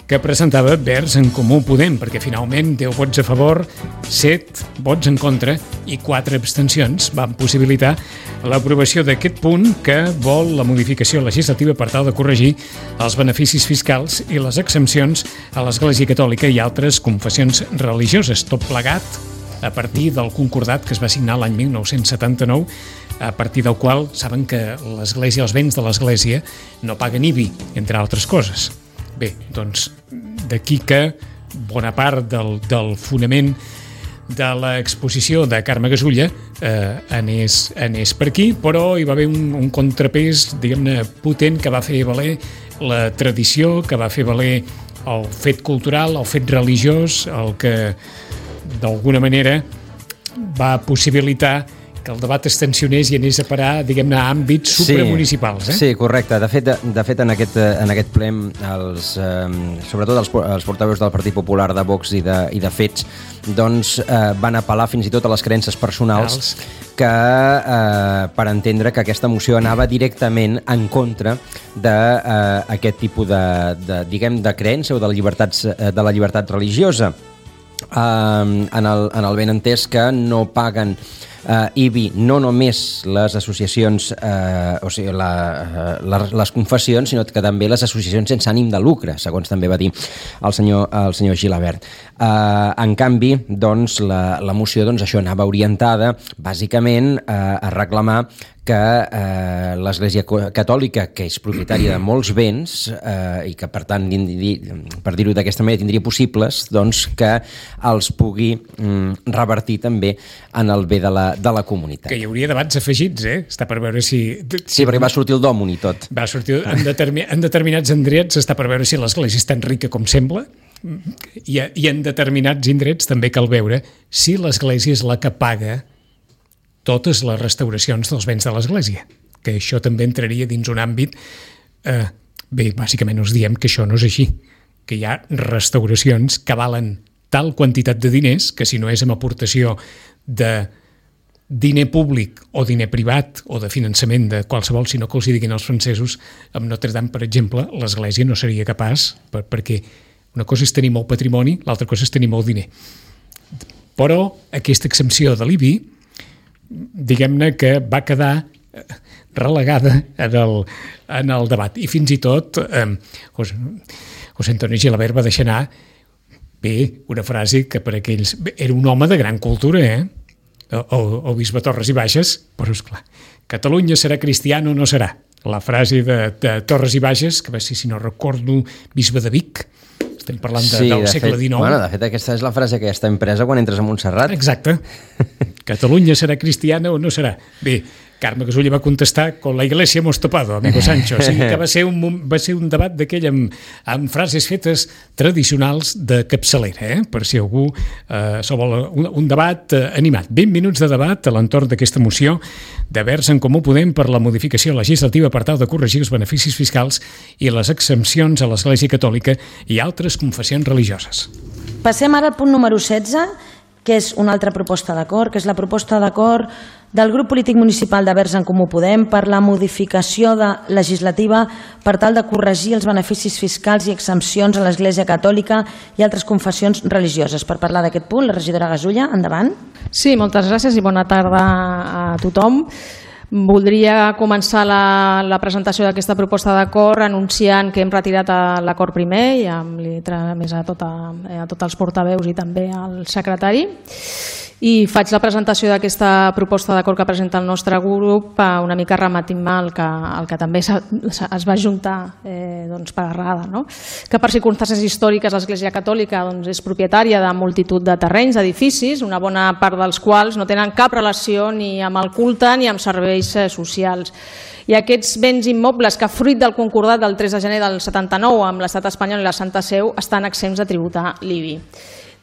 que presentava Verds en Comú Podem, perquè finalment deu vots a favor, set vots en contra i quatre abstencions van possibilitar l'aprovació d'aquest punt que vol la modificació legislativa per tal de corregir els beneficis fiscals i les exempcions a l'Església Catòlica i altres confessions religioses, tot plegat a partir del concordat que es va signar l'any mil nou-cents setanta-nou, a partir del qual saben que l'Església, els béns de l'Església no paguen I B I, entre altres coses. Bé, doncs d'aquí que bona part del, del fonament de l'exposició de Carme Gasulla eh, anés, anés per aquí, però hi va haver un, un contrapès, diguem-ne, potent que va fer valer la tradició, que va fer valer el fet cultural, el fet religiós, el que d'alguna manera va possibilitar que el debat es tensionés i anés a parar, diguem-ne, a àmbits supramunicipals. Eh? Sí, correcte. De fet, de fet en, aquest, en aquest ple, els, eh, sobretot els, els portaveus del Partit Popular, de Vox i de, i de Fets, doncs eh, van apel·lar fins i tot a les creences personals que, eh, per entendre que aquesta moció anava directament en contra d'aquest eh, tipus de, de, diguem, de creença o de la llibertat, de la llibertat religiosa. Eh, en, el, en el ben entès que no paguen Uh, I B I no només les associacions, uh, o sigui, la, uh, les, les confessions, sinó que també les associacions sense ànim de lucre, segons també va dir el senyor, el senyor Gilabert. Uh, en canvi, doncs, la, la moció, doncs, això anava orientada, bàsicament, uh, a reclamar que eh, l'Església Catòlica, que és propietària de molts béns eh, i que, per tant, per dir-ho d'aquesta manera, tindria possibles doncs, que els pugui mm, revertir també en el bé de la, de la comunitat. Que hi hauria debats afegits, eh? Està per veure si... si... Sí, perquè va sortir el dòmon i tot. Va sortir en, determi... en determinats indrets, està per veure si l'Església és tan rica com sembla, i, i en determinats indrets també cal veure si l'Església és la que paga totes les restauracions dels béns de l'Església, que això també entraria dins un àmbit... Eh, bé, bàsicament us diem que això no és així, que hi ha restauracions que valen tal quantitat de diners que si no és amb aportació de diner públic o diner privat o de finançament de qualsevol, sinó que els hi diguin els francesos, amb Notre Dame, per exemple, l'Església no seria capaç, per, perquè una cosa és tenir molt patrimoni, l'altra cosa és tenir molt diner. Però aquesta exempció de l'I B I, diguem-ne que va quedar relegada en el, en el debat. I fins i tot eh, José, José Antonio Gilabert va deixar anar bé una frase que per aquells... Era un home de gran cultura, eh? El, el bisbe Torres i Bages, però esclar, Catalunya serà cristiana o no serà? La frase de, de Torres i Bages, que va ser, si no recordo, bisbe de Vic, estem parlant de, sí, del de segle fet, dinou. Bueno, de fet, aquesta és la frase que ja està impresa quan entres a Montserrat. Exacte. Catalunya serà cristiana o no serà? Bé, Carme Gasulla va contestar con la iglesia hemos topado, amigo Sancho. O sigui que va ser un, va ser un debat d'aquell amb, amb frases fetes tradicionals de capçalera, eh? Per si algú eh, se vol un, un debat eh, animat. vint minuts de debat a l'entorn d'aquesta moció de Verds en Comú Podem per la modificació legislativa per tal de corregir els beneficis fiscals i les exempcions a l'Església Catòlica i altres confessions religioses. Passem ara al punt número setze, que és una altra proposta d'acord, que és la proposta d'acord del grup polític municipal de Verds en Comú Podem per la modificació de legislativa per tal de corregir els beneficis fiscals i exempcions a l'Església Catòlica i altres confessions religioses. Per parlar d'aquest punt, la regidora Gasulla, endavant. Sí, moltes gràcies i bona tarda a tothom. Voldria començar la, la presentació d'aquesta proposta d'acord anunciant que hem retirat l'acord primer i amb li més a, tota, a tots els portaveus i també al secretari. I faig la presentació d'aquesta proposta d'acord que presenta el nostre grup una mica rematint el que, el que també es va juntar eh, doncs, per errada, no? Que per circumstàncies històriques l'Església Catòlica doncs, és propietària de multitud de terrenys, d'edificis, una bona part dels quals no tenen cap relació ni amb el culte ni amb serveis socials. I aquests béns immobles que, fruit del concordat del tres de gener del setanta-nou amb l'Estat espanyol i la Santa Seu, estan exempts de tributar l'I B I.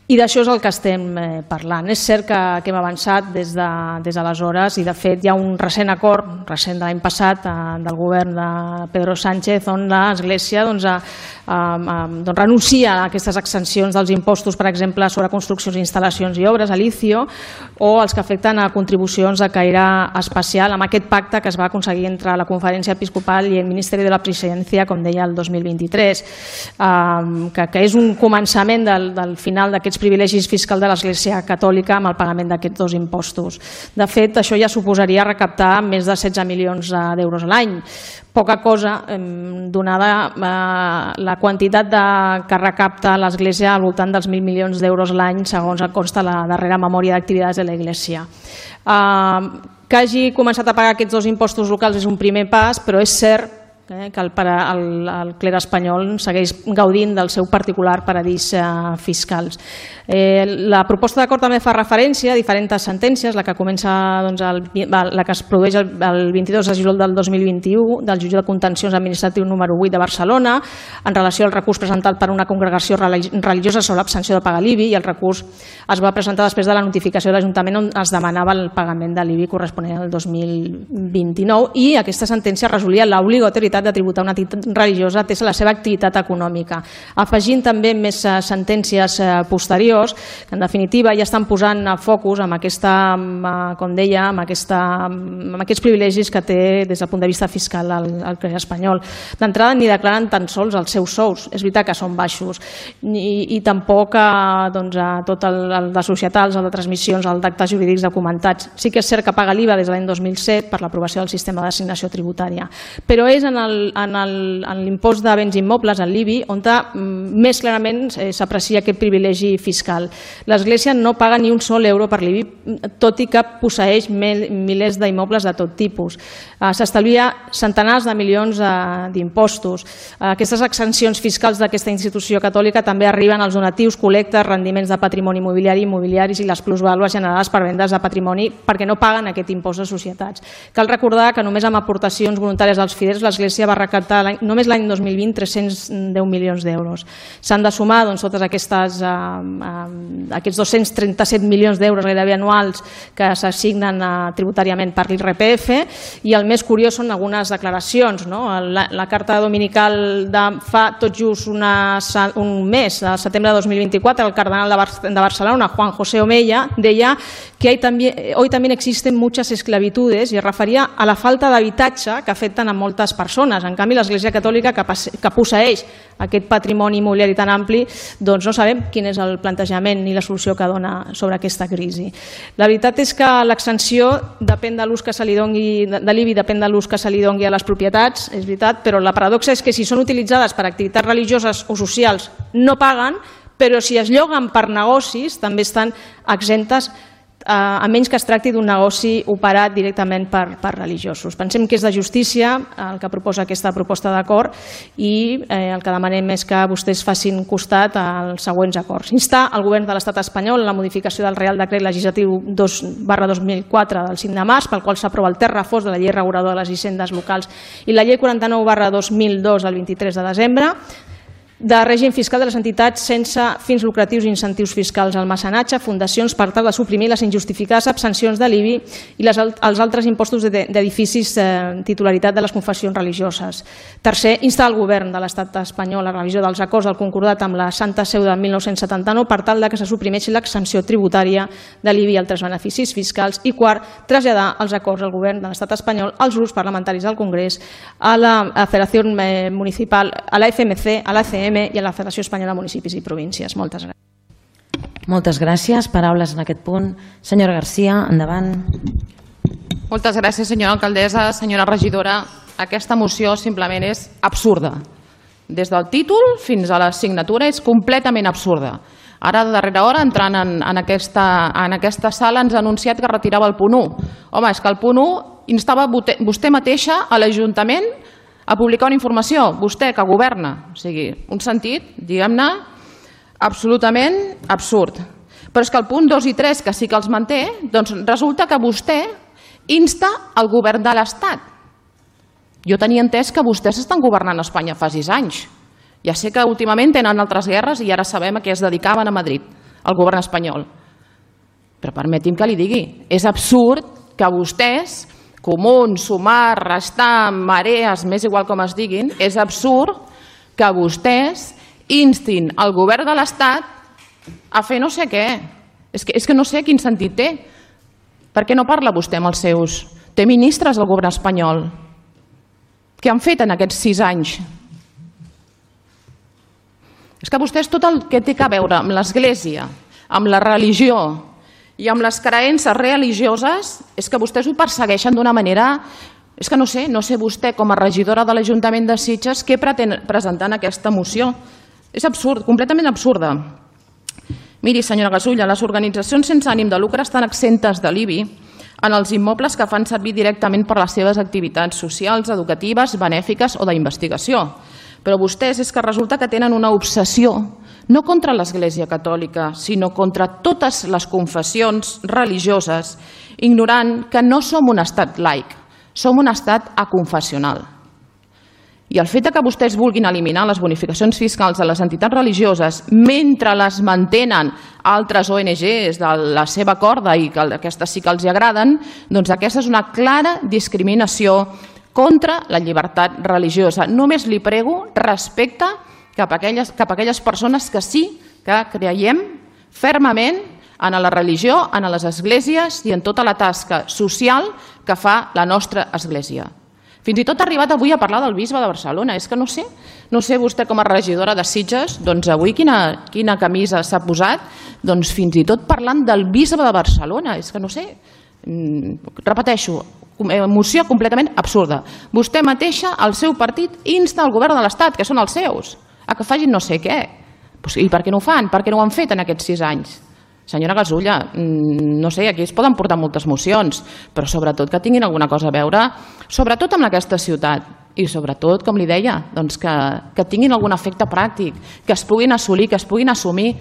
I d'això és el que estem parlant. És cert que, que hem avançat des d'aleshores de, i de fet hi ha un recent acord, recent de l'any passat, eh, del govern de Pedro Sánchez, on l'Església doncs, a, a, a, doncs, renuncia a aquestes exencions dels impostos, per exemple, sobre construccions, instal·lacions i obres, a l'I C I O, o els que afecten a contribucions de caire especial, amb aquest pacte que es va aconseguir entre la Conferència Episcopal i el Ministeri de la Presidència, com deia, el dos mil vint-i-tres, eh, que, que és un començament del, del final d'aquests privilegis fiscals de l'Església Catòlica amb el pagament d'aquests dos impostos. De fet, això ja suposaria recaptar més de setze milions d'euros a l'any. Poca cosa, donada la quantitat que recapta l'Església al voltant dels mil milions d'euros l'any, segons consta la darrera memòria d'activitats de l'Església. Que hagi començat a pagar aquests dos impostos locals és un primer pas, però és cert que el, el, el cler espanyol segueix gaudint del seu particular paradís eh, fiscals. Eh, la proposta d'acord també fa referència a diferents sentències, la que comença doncs, el, la que es produeix el, el vint-i-dos de juliol del dos mil vint-i-u del jutge de contencions administratiu número vuit de Barcelona en relació al recurs presentat per una congregació religiosa sobre l'abstenció de pagar l'I B I, i el recurs es va presentar després de la notificació de l'Ajuntament on es demanava el pagament de l'I B I corresponent al dos mil vint-i-nou, i aquesta sentència resolia l'obligatorietat de tributar una entitat religiosa atesa la seva activitat econòmica, afegint també més sentències posteriors que en definitiva ja estan posant focus amb aquesta, com deia, amb, aquesta, amb aquests privilegis que té des del punt de vista fiscal el, el cler espanyol. D'entrada ni declaren tan sols els seus sous, és veritat que són baixos, i, i tampoc doncs, a tot el, el de societals, el de transmissions, el d'actes jurídics documentats. Sí que és cert que paga l'I V A des de l'any dos mil set per l'aprovació del sistema d'assignació tributària, però és en l'impost de béns immobles, en l'I B I, on més clarament s'aprecia aquest privilegi fiscal. L'Església no paga ni un sol euro per l'I B I, tot i que posseeix milers d'immobles de tot tipus. S'estalvia centenars de milions d'impostos. Aquestes exempcions fiscals d'aquesta institució catòlica també arriben als donatius, col·lectes, rendiments de patrimoni immobiliari, immobiliaris i les plusvàlues generades per vendes de patrimoni, perquè no paguen aquest impost de societats. Cal recordar que només amb aportacions voluntàries dels fidels l'Església va recaptar només l'any dos mil vint tres-cents deu milions d'euros. S'han de sumar doncs, totes aquestes, eh, eh, aquests dos-cents trenta-set milions d'euros gairebé anuals que s'assignen eh, tributàriament per l'I R P F, i el més curiós són algunes declaracions. No? La, la carta dominical de fa tot just una, un mes, al setembre de dos mil vint-i-quatre, el cardenal de, Bar de Barcelona, Juan José Omeya, deia que hay también, hoy también existen muchas esclavitudes, i es referia a la falta d'habitatge que afecten a moltes persones. En canvi, l'Església Catòlica, que, que posseeix aquest patrimoni immobiliari tan ampli, doncs no sabem quin és el plantejament ni la solució que dona sobre aquesta crisi. La veritat és que l'extensió depèn de l'ús que se li doni, de l'I B I depèn de l'ús que se li doni a les propietats, és veritat, però la paradoxa és que si són utilitzades per activitats religioses o socials no paguen, però si es lloguen per negocis també estan exemptes a menys que es tracti d'un negoci operat directament per, per religiosos. Pensem que és de justícia el que proposa aquesta proposta d'acord i eh, el que demanem és que vostès facin costat als següents acords. Instar el govern de l'estat espanyol en la modificació del Real Decret Legislatiu dos barra dos mil quatre del cinc de març, pel qual s'aprova el text refós de la llei reguladora de les hisendes locals i la llei quaranta-nou barra dos mil dos del vint-i-tres de desembre, de règim fiscal de les entitats sense fins lucratius i incentius fiscals al mecenatge, fundacions, per tal de suprimir les injustificades abstencions de l'I B I i les, els altres impostos d'edificis eh, titularitat de les confessions religioses. Tercer, instar el govern de l'estat espanyol a la revisió dels acords del concordat amb la Santa Seu de mil nou-cents setanta-nou per tal de que se suprimeixi l'exempció tributària de l'I B I i altres beneficis fiscals. I quart, traslladar els acords al govern de l'estat espanyol, als grups parlamentaris del Congrés, a la Federació Municipal, a la F M C, a la C M i a la Federació Espanyola de Municipis i Províncies. Moltes gràcies. Moltes gràcies. Paraules en aquest punt. Senyora Garcia, endavant. Moltes gràcies, senyora alcaldessa. Senyora regidora, aquesta moció simplement és absurda. Des del títol fins a la signatura és completament absurda. Ara, de darrera hora, entrant en, en, aquesta, en aquesta sala, ens ha anunciat que retirava el punt u. Home, és que el punt u instava vostè mateixa a l'Ajuntament a publicar una informació, vostè que governa. O sigui, un sentit, diguem-ne, absolutament absurd. Però és que el punt dos i tres, que sí que els manté, doncs resulta que vostè insta el govern de l'Estat. Jo tenia entès que vostès estan governant a Espanya fa sis anys. Ja sé que últimament tenen altres guerres i ara sabem a què es dedicaven a Madrid, al govern espanyol. Però permeti'm que li digui, és absurd que vostès, Comuns, Sumar, Restar, Marees, m'és igual com es diguin, és absurd que vostès instin el govern de l'Estat a fer no sé què. És que, és que no sé quin sentit té. Per què no parla vostè amb els seus? Té ministres del govern espanyol. Què han fet en aquests sis anys? És que vostès tot el que té a veure amb l'Església, amb la religió i amb les creences religioses, és que vostès ho persegueixen d'una manera... És que no sé, no sé vostè com a regidora de l'Ajuntament de Sitges què pretén presentar en aquesta moció. És absurd, completament absurda. Miri, senyora Gasulla, les organitzacions sense ànim de lucre estan exemptes de l'I B I en els immobles que fan servir directament per les seves activitats socials, educatives, benèfiques o d'investigació. Però vostès és que resulta que tenen una obsessió no contra l'Església Catòlica, sinó contra totes les confessions religioses, ignorant que no som un estat laic, som un estat aconfessional. I el fet que vostès vulguin eliminar les bonificacions fiscals de les entitats religioses mentre les mantenen altres O N Ges de la seva corda i que aquestes sí que els agraden, doncs aquesta és una clara discriminació contra la llibertat religiosa. Només li prego respecte cap a aquelles, cap a aquelles persones que sí que creiem fermament en la religió, en les esglésies i en tota la tasca social que fa la nostra església. Fins i tot ha arribat avui a parlar del bisbe de Barcelona. És que no sé, no sé vostè com a regidora de Sitges, doncs avui quina, quina camisa s'ha posat, doncs fins i tot parlant del bisbe de Barcelona. És que no sé, repeteixo, moció completament absurda. Vostè mateixa, el seu partit, insta el govern de l'Estat, que són els seus, a que facin no sé què. I per què no ho fan? Per què no ho han fet en aquests sis anys? Senyora Gasulla, no sé, aquí es poden portar moltes mocions, però sobretot que tinguin alguna cosa a veure, sobretot amb aquesta ciutat, i sobretot, com li deia, doncs que, que tinguin algun efecte pràctic, que es puguin assolir, que es puguin assumir,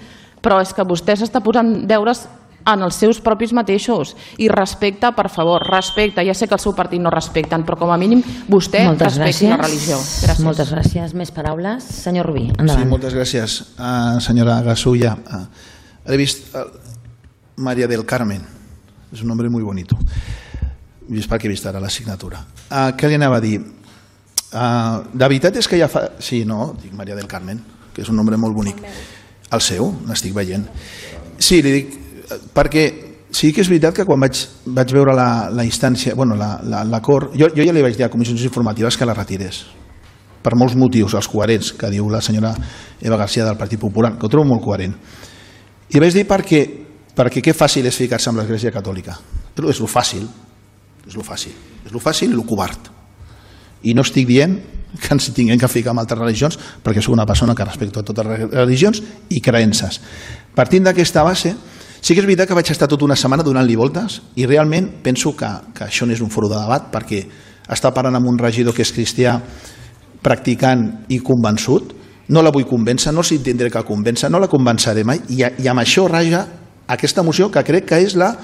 però és que vostè s'està posant deures en els seus propis mateixos. I respecte, per favor, respecte. Ja sé que el seu partit no respecten, però com a mínim vostè respecti la religió. Gràcies. Moltes gràcies. Més paraules? Senyor Rubí, endavant. Sí, moltes gràcies, uh, senyora Gasulla. Uh, he vist uh, María del Carmen. És un nombre muy bonito. He vist perquè he vist ara la signatura. Uh, què li anava a dir? Uh, de veritat és que ja fa... Sí, no, dic María del Carmen, que és un nombre molt bonic. El seu, l'estic veient. Sí, li dic perquè sí que és veritat que quan vaig, vaig veure la, la instància, bueno, l'acord, jo, jo ja li vaig dir a comissions informatives que la retirés, per molts motius, els coherents, que diu la senyora Eva García del Partit Popular, que ho trobo molt coherent. I vaig dir perquè, perquè que fàcil és ficar-se amb l'Església Catòlica. Però és lo fàcil, és lo fàcil, és lo fàcil i lo covard. I no estic dient que ens tinguem que ficar amb altres religions, perquè soc una persona que respecta totes les religions i creences. Partint d'aquesta base, Sí que és veritat que vaig estar tota una setmana donant-li voltes i realment penso que, que això no és un foro de debat, perquè està parlant amb un regidor que és cristià, practicant i convençut. No la vull convèncer, no s'hi tindré que convèncer, no la convenceré mai, i, i amb això raja aquesta moció que crec que és la...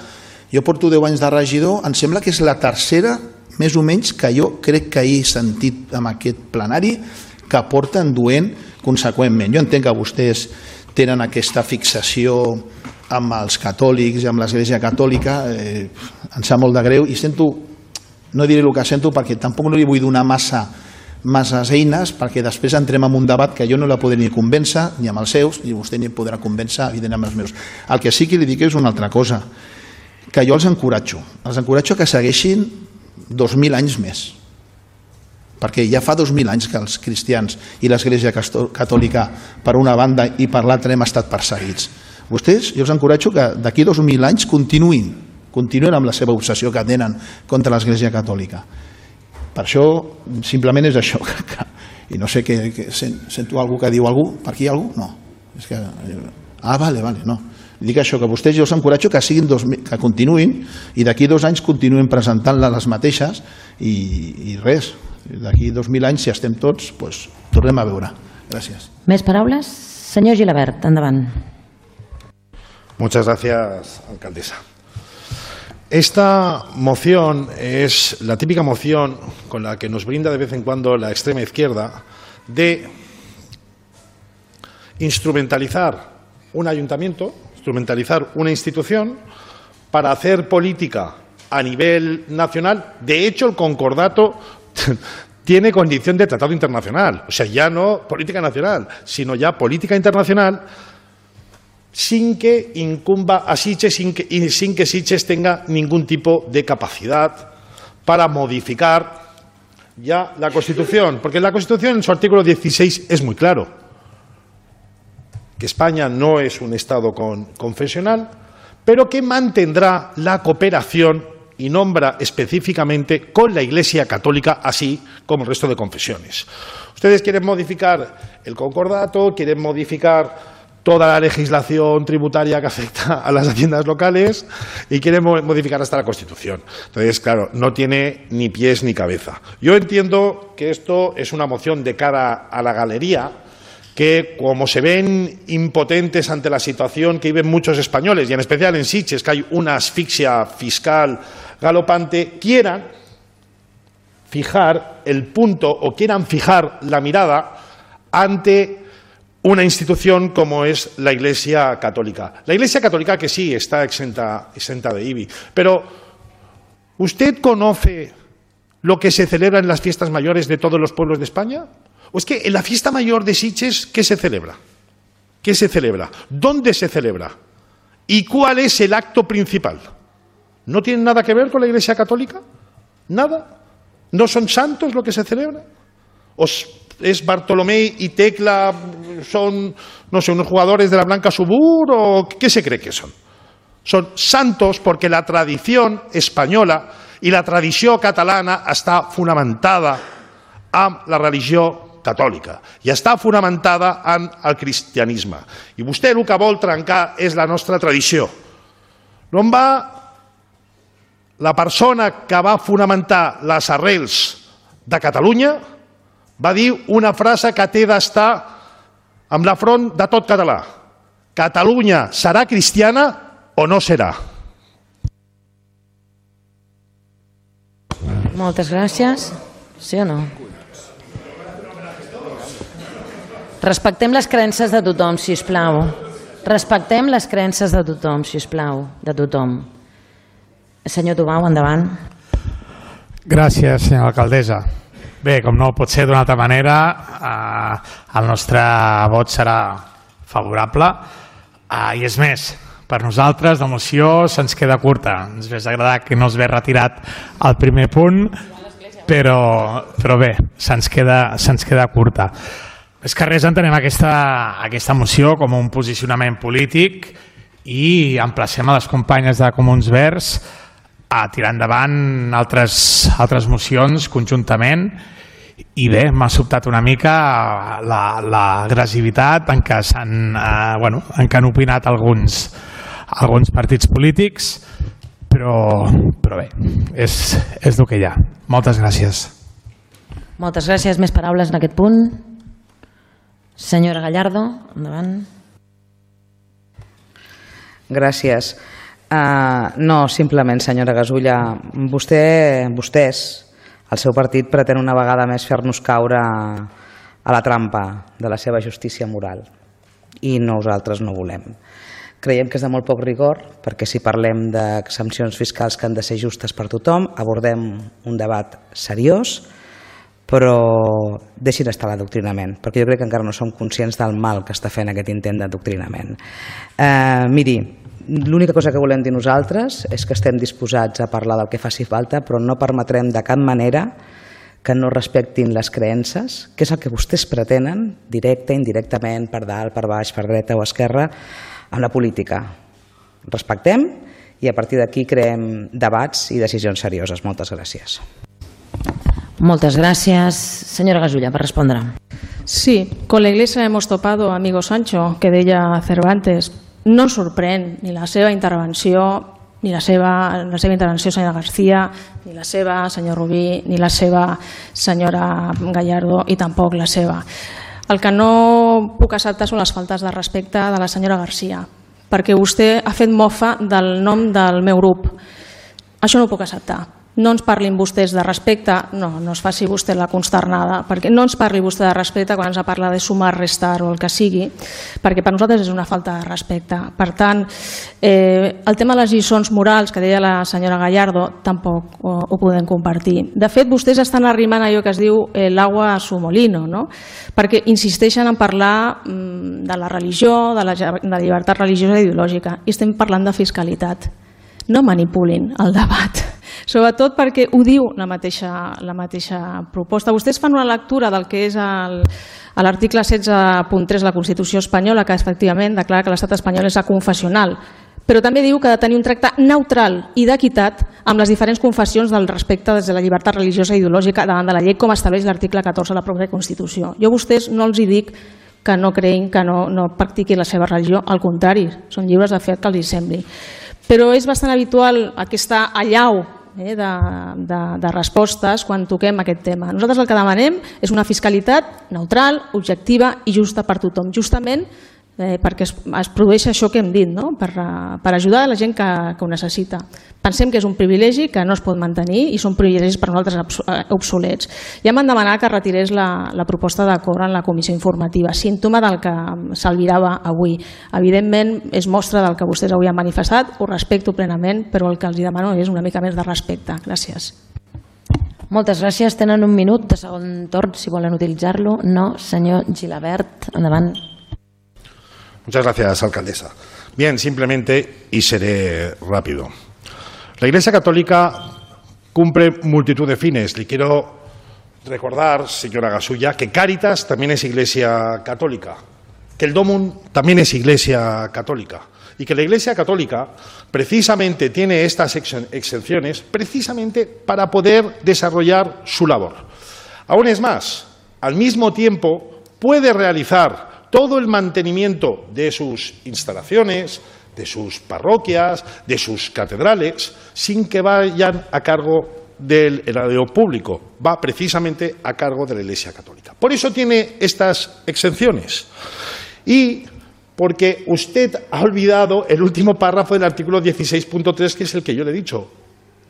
Jo porto deu anys de regidor, em sembla que és la tercera, més o menys, que jo crec que he sentit en aquest plenari que porten duent conseqüentment. Jo entenc que vostès tenen aquesta fixació amb els catòlics i amb l'Església Catòlica, eh, em sap molt de greu i sento, no diré el que sento perquè tampoc no li vull donar massa masses eines perquè després entrem en un debat que jo no la podré ni convèncer ni amb els seus ni vostè ni podrà convèncer evidentment amb els meus. El que sí que li dic és una altra cosa, que jo els encoratjo, els encoratjo que segueixin dos mil anys més, perquè ja fa dos mil anys que els cristians i l'Església Catòlica per una banda i per l'altra hem estat perseguits. Vostès, jo els encoratjo que d'aquí dos mil anys continuïn, continuïn amb la seva obsessió que tenen contra l'Església Catòlica. Per això, simplement és això. I no sé, que, que sento algú que diu algú, per aquí hi ha algú? No. És que, ah, vale, vale, no. Dic això, que vostès jo els encoratjo que, siguin dos, que continuïn i d'aquí dos anys continuïn presentant-la les mateixes i, i res, d'aquí dos mil anys, si estem tots, pues, tornem a veure. Gràcies. Més paraules? Senyor Gilabert, endavant. Muchas gracias, alcaldesa. Esta moción es la típica moción con la que nos brinda de vez en cuando la extrema izquierda de instrumentalizar un ayuntamiento, instrumentalizar una institución para hacer política a nivel nacional. De hecho, el concordato tiene condición de tratado internacional, o sea, ya no política nacional, sino ya política internacional, sin que incumba a Sitges sin que, y sin que Sitges tenga ningún tipo de capacidad para modificar ya la Constitución. Porque la Constitución en su artículo dieciséis es muy claro, que España no es un Estado con, confesional, pero que mantendrá la cooperación y nombra específicamente con la Iglesia Católica, así como el resto de confesiones. Ustedes quieren modificar el concordato, quieren modificar toda la legislación tributaria que afecta a las haciendas locales y quieren modificar hasta la Constitución. Entonces, claro, no tiene ni pies ni cabeza. Yo entiendo que esto es una moción de cara a la galería, que como se ven impotentes ante la situación que viven muchos españoles, y en especial en Sitges, que hay una asfixia fiscal galopante, quieran fijar el punto o quieran fijar la mirada ante una institución como es la Iglesia Católica. La Iglesia Católica que sí está exenta, exenta de I B I, pero ¿usted conoce lo que se celebra en las fiestas mayores de todos los pueblos de España? ¿O es que en la fiesta mayor de Sitges, qué se celebra? ¿Qué se celebra? ¿Dónde se celebra? ¿Y cuál es el acto principal? ¿No tiene nada que ver con la Iglesia Católica? ¿Nada? ¿No son santos lo que se celebra? ¿Os es Bartolomé y Tecla, son, no sé, unos jugadores de la Blanca Subur o qué se cree que son? Son santos porque la tradición española y la tradició catalana està fonamentada en la religió catòlica i està fonamentada en el cristianisme. I vostè el que vol trencar és la nostra tradició. On va la persona que va fonamentar les arrels de Catalunya va dir una frase que té d'estar amb la front de tot català. Catalunya serà cristiana o no serà? Moltes gràcies. Sí o no? Respectem les creences de tothom, si us plau. Respectem les creences de tothom, si us plau, de tothom. Senyor Tubau, endavant. Gràcies, senyora alcaldessa. Bé, com no pot ser d'una altra manera, eh, el nostre vot serà favorable. Eh, I és més, per nosaltres la moció se'ns queda curta. Ens hauria agradat que no es ve retirat el primer punt, però, però bé, se'ns queda, se'ns queda curta. És que res entenem aquesta, aquesta moció com un posicionament polític i emplacem a les companyes de Comuns Verds a tirar endavant altres, altres mocions conjuntament i bé, m'ha sobtat una mica l'agressivitat en què s'han eh, bueno, en què han opinat alguns, alguns partits polítics, però, però bé, és, és el que hi ha. Moltes gràcies. Moltes gràcies. Més paraules en aquest punt? Senyora Gallardo, endavant. Gràcies. Uh, no, simplement, senyora Gasulla, vostè, vostès, el seu partit, pretén una vegada més fer-nos caure a la trampa de la seva justícia moral i nosaltres no volem. Creiem que és de molt poc rigor perquè si parlem d'exempcions fiscals que han de ser justes per tothom, abordem un debat seriós, però deixin estar l'adoctrinament, perquè jo crec que encara no som conscients del mal que està fent aquest intent d'adoctrinament. Eh, miri, l'única cosa que volem dir nosaltres és que estem disposats a parlar del que faci falta, però no permetrem de cap manera que no respectin les creences, que és el que vostès pretenen, directe, indirectament, per dalt, per baix, per dreta o esquerra, amb la política. Respectem i a partir d'aquí creem debats i decisions serioses. Moltes gràcies. Moltes gràcies. Senyora Gasulla, per respondre. Sí, con la Iglesia hemos topado, amigo Sancho, que deia Cervantes. No sorprèn ni la seva intervenció, ni la seva, la seva intervenció, senyora García, ni la seva, senyor Rubí, ni la seva, senyora Gallardo, i tampoc la seva. El que no puc acceptar són les faltes de respecte de la senyora García, perquè vostè ha fet mofa del nom del meu grup. Això no ho puc acceptar. No ens parlin vostès de respecte, no, no es faci vostè la consternada, perquè no ens parli vostè de respecte quan ens parla de sumar, restar o el que sigui, perquè per nosaltres és una falta de respecte. Per tant, eh, el tema de les lliçons morals que deia la senyora Gallardo tampoc ho, ho podem compartir. De fet, vostès estan arrimant allò que es diu eh, l'agua a su molino, no? Perquè insisteixen en parlar mm, de la religió, de la, de la llibertat religiosa i ideològica, i estem parlant de fiscalitat. No manipulin el debat, sobretot perquè ho diu la mateixa, la mateixa proposta. Vostès fan una lectura del que és l'article setze punt tres de la Constitució espanyola, que efectivament declara que l'estat espanyol és aconfessional, però també diu que ha de tenir un tracte neutral i d'equitat amb les diferents confessions del respecte des de la llibertat religiosa i ideològica davant de la llei, com estableix l'article catorze de la pròpia Constitució. Jo a vostès no els hi dic que no creïn, que no, no practiquin la seva religió, al contrari, són lliures de fer el que els hi sembli. Però és bastant habitual aquesta allau eh, de, de, de respostes quan toquem aquest tema. Nosaltres el que demanem és una fiscalitat neutral, objectiva i justa per tothom, justament eh, perquè es, es produeix això que hem dit, no? per, per ajudar a la gent que, que ho necessita. Pensem que és un privilegi que no es pot mantenir i són privilegis per nosaltres obsolets. Ja m'han demanat que retirés la, la proposta d'acord en la comissió informativa, símptoma del que s'albirava avui. Evidentment és mostra del que vostès avui han manifestat, ho respecto plenament, però el que els demano és una mica més de respecte. Gràcies. Moltes gràcies. Tenen un minut de segon torn, si volen utilitzar-lo. No, senyor Gilabert, endavant. Muchas gracias, alcaldesa. Bien, simplemente, y seré rápido. La Iglesia Católica cumple multitud de fines. Le quiero recordar, señora Gasulla, que Cáritas también es Iglesia Católica, que el Domum también es Iglesia Católica y que la Iglesia Católica precisamente tiene estas exenciones precisamente para poder desarrollar su labor. Aún es más, al mismo tiempo puede realizar todo el mantenimiento de sus instalaciones, de sus parroquias, de sus catedrales, sin que vayan a cargo del erario público. Va precisamente a cargo de la Iglesia Católica. Por eso tiene estas exenciones. Y porque usted ha olvidado el último párrafo del artículo dieciséis punto tres, que es el que yo le he dicho.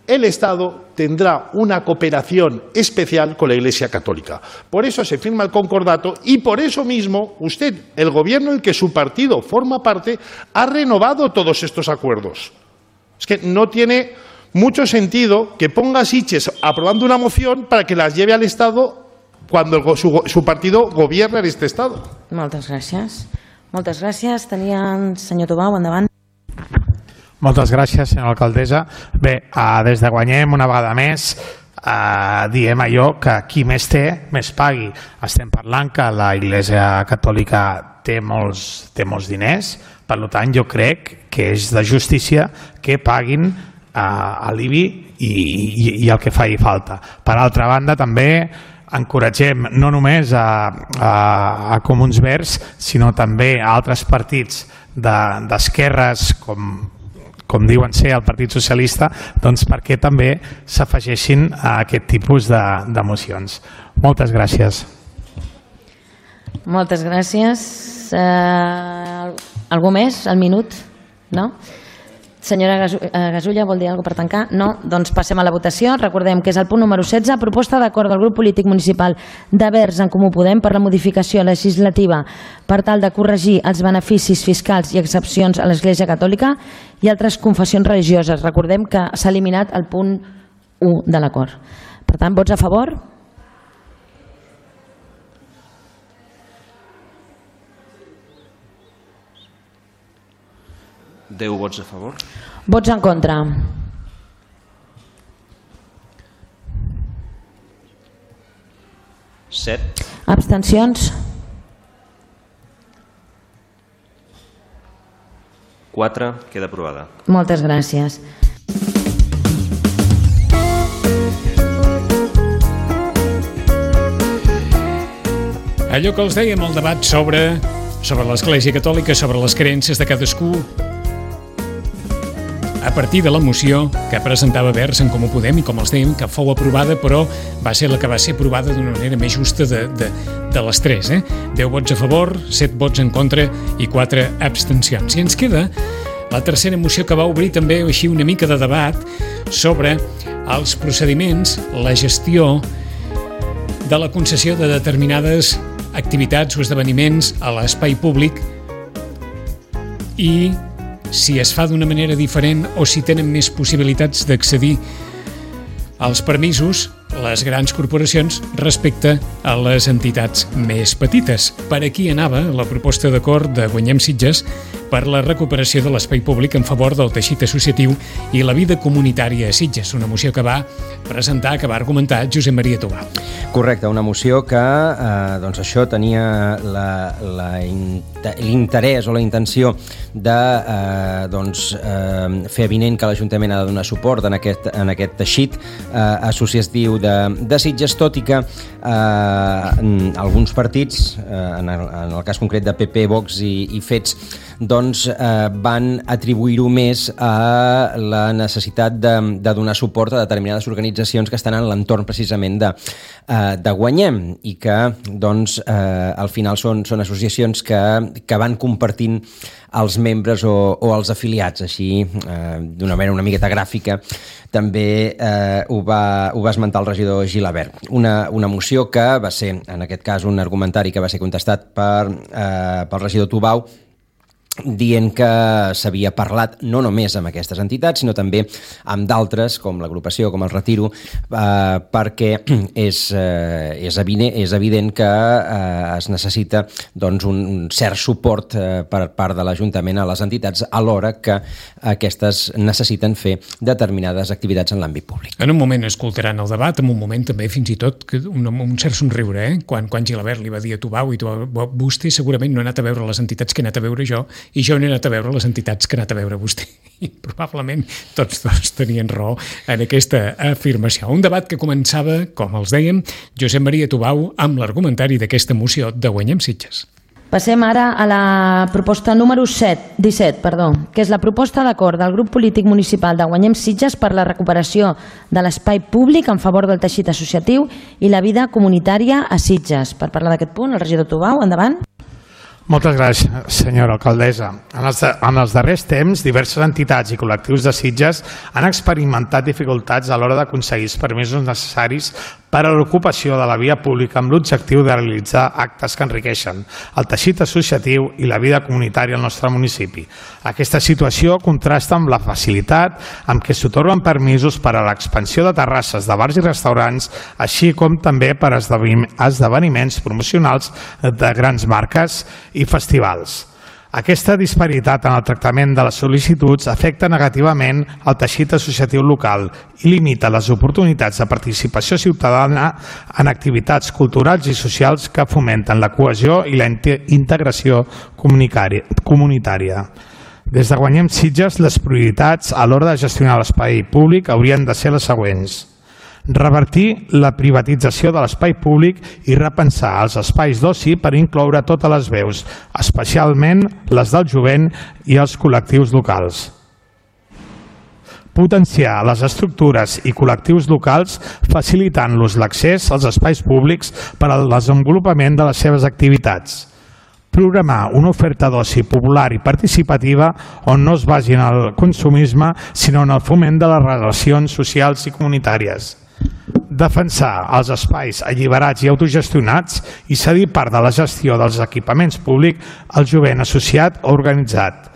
El Estado tendrá una cooperación especial con la Iglesia Católica. Por eso se firma el concordato y por eso mismo usted, el gobierno del que su partido forma parte, ha renovado todos estos acuerdos. Es que no tiene mucho sentido que ponga Sitges aprobando una moción para que las lleve al Estado cuando el, su, su partido gobierna en este Estado. Moltes gràcies. Moltes gràcies. Tenien senyor Tobau, endavant. Moltes gràcies, senyora alcaldessa. Bé, eh, des de Guanyem, una vegada més, eh, diem allò que qui més té, més pagui. Estem parlant que la Iglesia Catòlica té molts, té molts diners, per tant jo crec que és de justícia que paguin eh, a l'I B I i, i, i el que faci falta. Per altra banda, també encoratgem no només a, a, a Comuns Verds, sinó també a altres partits d'esquerres, de, com, com diuen ser el Partit Socialista, doncs perquè també s'afegeixin a aquest tipus de, de mocions. Moltes gràcies. Moltes gràcies. Uh, algú més? Al minut? No? Senyora Gasulla, vol dir alguna cosa per tancar? No? Doncs passem a la votació. Recordem que és el punt número setze, proposta d'acord del grup polític municipal de Verds en Comú Podem per la modificació legislativa per tal de corregir els beneficis fiscals i excepcions a l'Església Catòlica i altres confessions religioses. Recordem que s'ha eliminat el punt u de l'acord. Per tant, vots a favor? deu vots a favor. Vots en contra. set. Abstencions? quatre. Queda aprovada. Moltes gràcies. Allò que els dèiem, el debat sobre, sobre l'Església Catòlica, sobre les creences de cadascú, a partir de la moció que presentava Verds en Comú Podem i, com els dèiem, que fou aprovada, però va ser la que va ser aprovada d'una manera més justa de, de, de les tres. Eh? deu vots a favor, set vots en contra i quatre abstencions. I ens queda la tercera moció que va obrir també així una mica de debat sobre els procediments, la gestió de la concessió de determinades activitats o esdeveniments a l'espai públic i si es fa d'una manera diferent o si tenen més possibilitats d'accedir als permisos les grans corporacions respecte a les entitats més petites. Per aquí anava la proposta d'acord de Guanyem Sitges per la recuperació de l'espai públic en favor del teixit associatiu i la vida comunitària a Sitges, una moció que va presentar, que va argumentar Josep Maria Tubau. Correcte, una moció que eh, doncs això tenia l'interès o la intenció de eh, doncs, eh, fer evident que l'Ajuntament ha de donar suport en aquest, en aquest teixit eh, associatiu de, de Sitges, tot i que eh, alguns partits, eh, en, el, en el cas concret de P P, Vox i, i Fets, doncs eh, van atribuir-ho més a la necessitat de, de donar suport a determinades organitzacions que estan en l'entorn precisament de, eh, de Guanyem i que doncs eh, al final són, són associacions que, que van compartint els membres o, o els afiliats, així eh, d'una manera una miqueta gràfica també eh, ho, va, ho va esmentar el regidor Gilabert. Una, una moció que va ser, en aquest cas, un argumentari que va ser contestat per, eh, pel regidor Tubau, dient que s'havia parlat no només amb aquestes entitats, sinó també amb d'altres, com l'agrupació, com el Retiro, eh, perquè és, eh, és, evident, és evident que eh, es necessita doncs, un, un cert suport eh, per part de l'Ajuntament a les entitats alhora que aquestes necessiten fer determinades activitats en l'àmbit públic. En un moment escoltaran el debat, en un moment també fins i tot que un, un cert somriure, eh? quan, quan Gilabert li va dir a Tubau, i Tubau, vostè segurament no ha anat a veure les entitats que he anat a veure jo, i jo n'he anat a veure les entitats que ha anat a veure vostè. I probablement tots dos tenien raó en aquesta afirmació. Un debat que començava, com els dèiem, Josep Maria Tubau amb l'argumentari d'aquesta moció de Guanyem Sitges. Passem ara a la proposta número set, disset, perdó, que és la proposta d'acord del grup polític municipal de Guanyem Sitges per la recuperació de l'espai públic en favor del teixit associatiu i la vida comunitària a Sitges. Per parlar d'aquest punt, el regidor Tubau, endavant. Moltes gràcies, senyora alcaldessa. En els, de, en els darrers temps, diverses entitats i col·lectius de Sitges han experimentat dificultats a l'hora d'aconseguir els permisos necessaris per a l'ocupació de la via pública amb l'objectiu de realitzar actes que enriqueixen el teixit associatiu i la vida comunitària al nostre municipi. Aquesta situació contrasta amb la facilitat amb què s'atorguen permisos per a l'expansió de terrasses de bars i restaurants, així com també per a esdeveniments promocionals de grans marques i festivals. Aquesta disparitat en el tractament de les sol·licituds afecta negativament el teixit associatiu local i limita les oportunitats de participació ciutadana en activitats culturals i socials que fomenten la cohesió i la integració comunitària. Des de Guanyem Sitges, les prioritats a l'hora de gestionar l'espai públic haurien de ser les següents. revertir la privatització de l'espai públic i repensar els espais d'oci per incloure totes les veus, especialment les del jovent i els col·lectius locals. Potenciar les estructures i col·lectius locals facilitant-los l'accés als espais públics per al desenvolupament de les seves activitats. Programar una oferta d'oci popular i participativa on no es basi en el consumisme, sinó en el foment de les relacions socials i comunitàries. Defensar els espais alliberats i autogestionats i cedir part de la gestió dels equipaments públics al jovent associat o organitzat.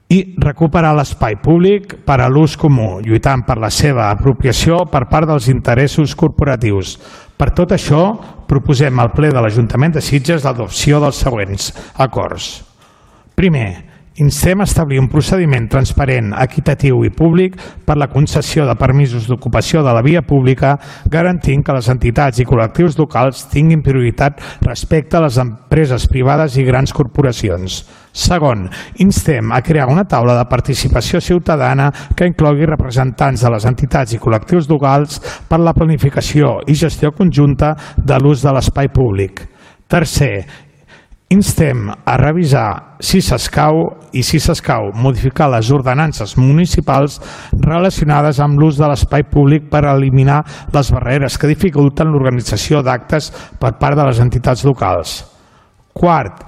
I recuperar l'espai públic per a l'ús comú, lluitant per la seva apropiació per part dels interessos corporatius. Per tot això, proposem al ple de l'Ajuntament de Sitges l'adopció dels següents acords. Primer, instem a establir un procediment transparent, equitatiu i públic per la concessió de permisos d'ocupació de la via pública, garantint que les entitats i col·lectius locals tinguin prioritat respecte a les empreses privades i grans corporacions. Segon, instem a crear una taula de participació ciutadana que inclogui representants de les entitats i col·lectius locals per la planificació i gestió conjunta de l'ús de l'espai públic. Tercer, instem a revisar, si s'escau i si s'escau, modificar les ordenances municipals relacionades amb l'ús de l'espai públic per eliminar les barreres que dificulten l'organització d'actes per part de les entitats locals. Quart,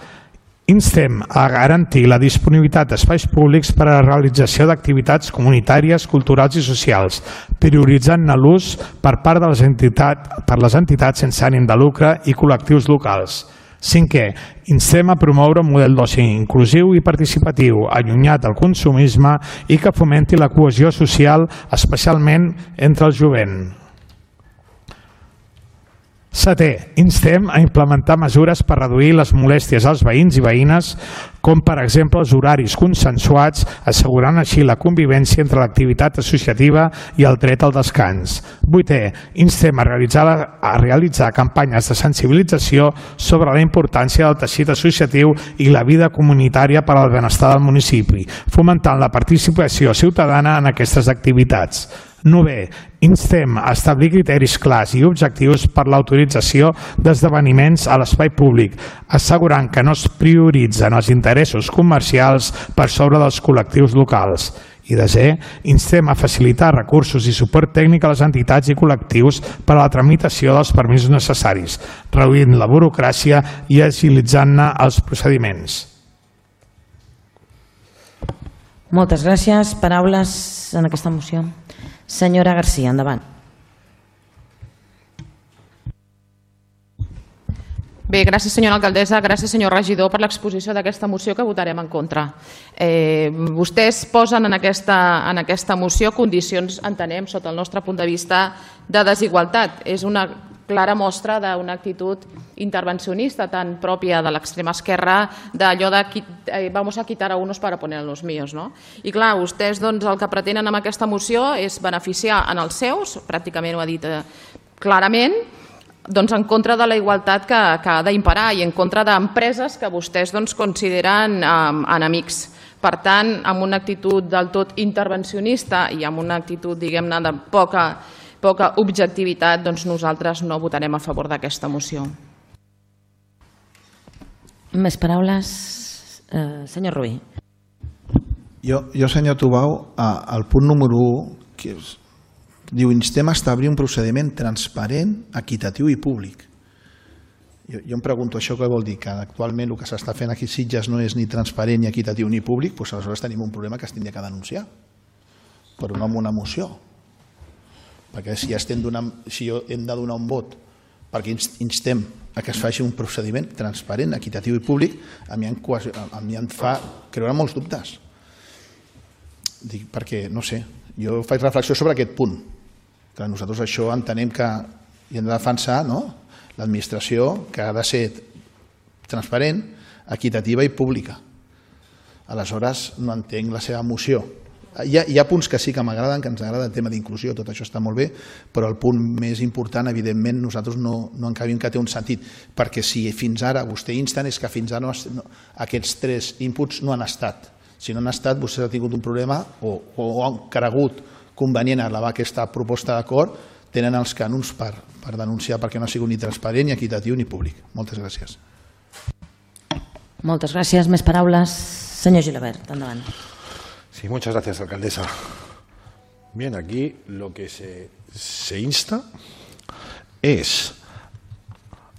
instem a garantir la disponibilitat d'espais públics per a la realització d'activitats comunitàries, culturals i socials, prioritzant l'ús per part de les entitats, per les entitats sense ànim de lucre i col·lectius locals. Cinquè, instem a promoure un model d'oci inclusiu i participatiu, allunyat del consumisme i que fomenti la cohesió social, especialment entre el jovent. Setè, instem a implementar mesures per reduir les molèsties als veïns i veïnes, com per exemple els horaris consensuats, assegurant així la convivència entre l'activitat associativa i el dret al descans. Vuitè, instem a realitzar, a realitzar campanyes de sensibilització sobre la importància del teixit associatiu i la vida comunitària per al benestar del municipi, fomentant la participació ciutadana en aquestes activitats. Novè, instem a establir criteris clars i objectius per l'autorització d'esdeveniments a l'espai públic, assegurant que no es prioritzen els interessos comercials per sobre dels col·lectius locals. I desè, instem a facilitar recursos i suport tècnic a les entitats i col·lectius per a la tramitació dels permisos necessaris, reduint la burocràcia i agilitzant-ne els procediments. Moltes gràcies. Paraules en aquesta moció. Senyora García, endavant. Bé, gràcies senyora alcaldessa, gràcies senyor regidor per l'exposició d'aquesta moció que votarem en contra. Eh, vostès posen en aquesta, en aquesta moció condicions, entenem, sota el nostre punt de vista, de desigualtat. És una clara mostra d'una actitud intervencionista tan pròpia de l'extrema esquerra, d'allò de eh, vamos a quitar a unos para poner a los míos. No? I clar, vostès doncs, el que pretenen amb aquesta moció és beneficiar en els seus, pràcticament ho ha dit eh, clarament, doncs en contra de la igualtat que, que ha d'imparar i en contra d'empreses que vostès doncs, consideren eh, enemics. Per tant, amb una actitud del tot intervencionista i amb una actitud, diguem-ne, de poca, poca objectivitat, doncs nosaltres no votarem a favor d'aquesta moció. Més paraules? Eh, senyor Rubí. Jo, jo senyor Tubau, al punt número u, que és, diu, instem a establir un procediment transparent, equitatiu i públic. Jo, jo em pregunto això què vol dir, que actualment el que s'està fent aquí a Sitges no és ni transparent, ni equitatiu, ni públic, doncs aleshores tenim un problema que es tindria que denunciar, però no amb una moció. Perquè si, estem donant, si hem de donar un vot perquè instem a que es faci un procediment transparent, equitatiu i públic, a mi em, a mi em fa creure molts dubtes. Dic, perquè, no sé, jo faig reflexió sobre aquest punt, que nosaltres això entenem que hi hem de defensar, no? L'administració que ha de ser transparent, equitativa i pública. Aleshores, no entenc la seva moció. Hi ha, hi ha punts que sí que m'agraden, que ens agrada el tema d'inclusió, tot això està molt bé, però el punt més important, evidentment, nosaltres no, no encabim que té un sentit, perquè si fins ara vostè instant és que fins ara no, no, aquests tres inputs no han estat. Si no han estat, vostè ha tingut un problema o, o han cregut convenient elevar aquesta proposta d'acord, tenen els cànons per, per denunciar perquè no ha sigut ni transparent, ni equitatiu, ni públic. Moltes gràcies. Moltes gràcies. Més paraules. Senyor Gilabert, endavant. Sí, muchas gracias, alcaldesa. Bien, aquí lo que se, se insta es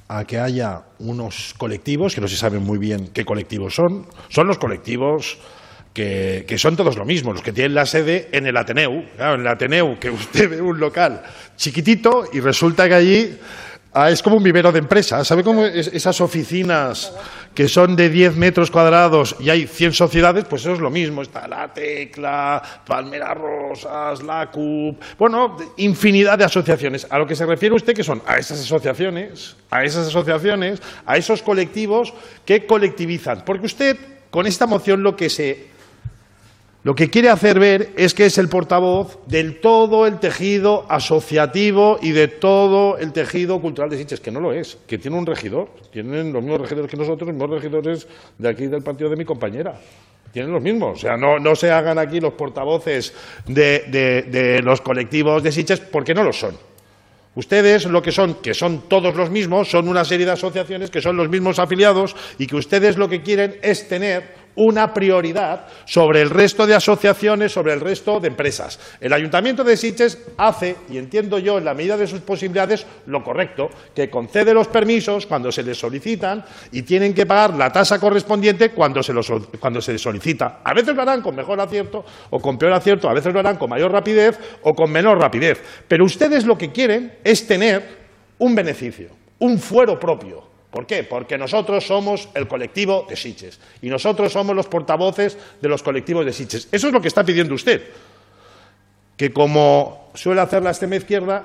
a que haya unos colectivos, que no se sabe muy bien qué colectivos son, son los colectivos que, que son todos lo mismo, los que tienen la sede en el Ateneu. Claro, en el Ateneu, que usted ve un local chiquitito y resulta que allí ah, es como un vivero de empresas. ¿Sabe cómo es, esas oficinas que son de diez metros cuadrados y hay cien sociedades? Pues eso es lo mismo. Está La Tecla, Palmeras Rosas, la C U P, bueno, infinidad de asociaciones. A lo que se refiere usted, que son a esas asociaciones, a esas asociaciones, a esos colectivos que colectivizan. Porque usted, con esta moción, lo que se... Lo que quiere hacer ver es que es el portavoz del todo el tejido asociativo y de todo el tejido cultural de Sitges, que no lo es, que tiene un regidor, tienen los mismos regidores que nosotros, los mismos regidores de aquí del partido de mi compañera. Tienen los mismos, o sea, no, no se hagan aquí los portavoces de, de, de los colectivos de Sitges porque no lo son. Ustedes lo que son, que son todos los mismos, son una serie de asociaciones que son los mismos afiliados y que ustedes lo que quieren es tener una prioridad sobre el resto de asociaciones, sobre el resto de empresas. El Ayuntamiento de Sitges hace, y entiendo yo en la medida de sus posibilidades, lo correcto, que concede los permisos cuando se les solicitan y tienen que pagar la tasa correspondiente cuando se, los, cuando se les solicita. A veces lo harán con mejor acierto o con peor acierto, a veces lo harán con mayor rapidez o con menor rapidez. Pero ustedes lo que quieren es tener un beneficio, un fuero propio. ¿Por qué? Porque nosotros somos el colectivo de Sitges y nosotros somos los portavoces de los colectivos de Sitges. Eso es lo que está pidiendo usted, que como suele hacer la extrema izquierda,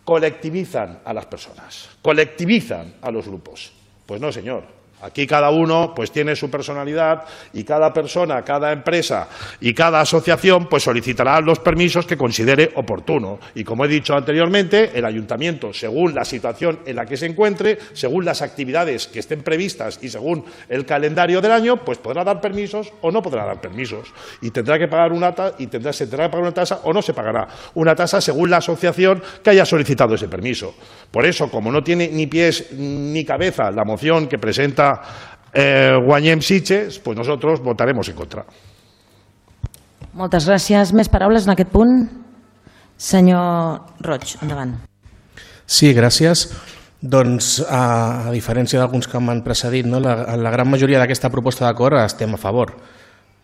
colectivizan a las personas, colectivizan a los grupos. Pues no, señor. Aquí cada uno pues tiene su personalidad y cada persona, cada empresa y cada asociación pues solicitará los permisos que considere oportuno. Y como he dicho anteriormente, el ayuntamiento, según la situación en la que se encuentre, según las actividades que estén previstas y según el calendario del año, pues podrá dar permisos o no podrá dar permisos. Y tendrá que pagar una tasa, y tendrá, se tendrá que pagar una tasa o no se pagará una tasa según la asociación que haya solicitado ese permiso. Por eso, como no tiene ni pies ni cabeza la moción que presenta Eh, Guanyem Sitges, pues nosotros votaremos en contra. Moltes gràcies. Més paraules en aquest punt? Senyor Roig, endavant. Sí, gràcies. Doncs, a, a diferència d'alguns que m'han precedit, no? la, la gran majoria d'aquesta proposta d'acord estem a favor.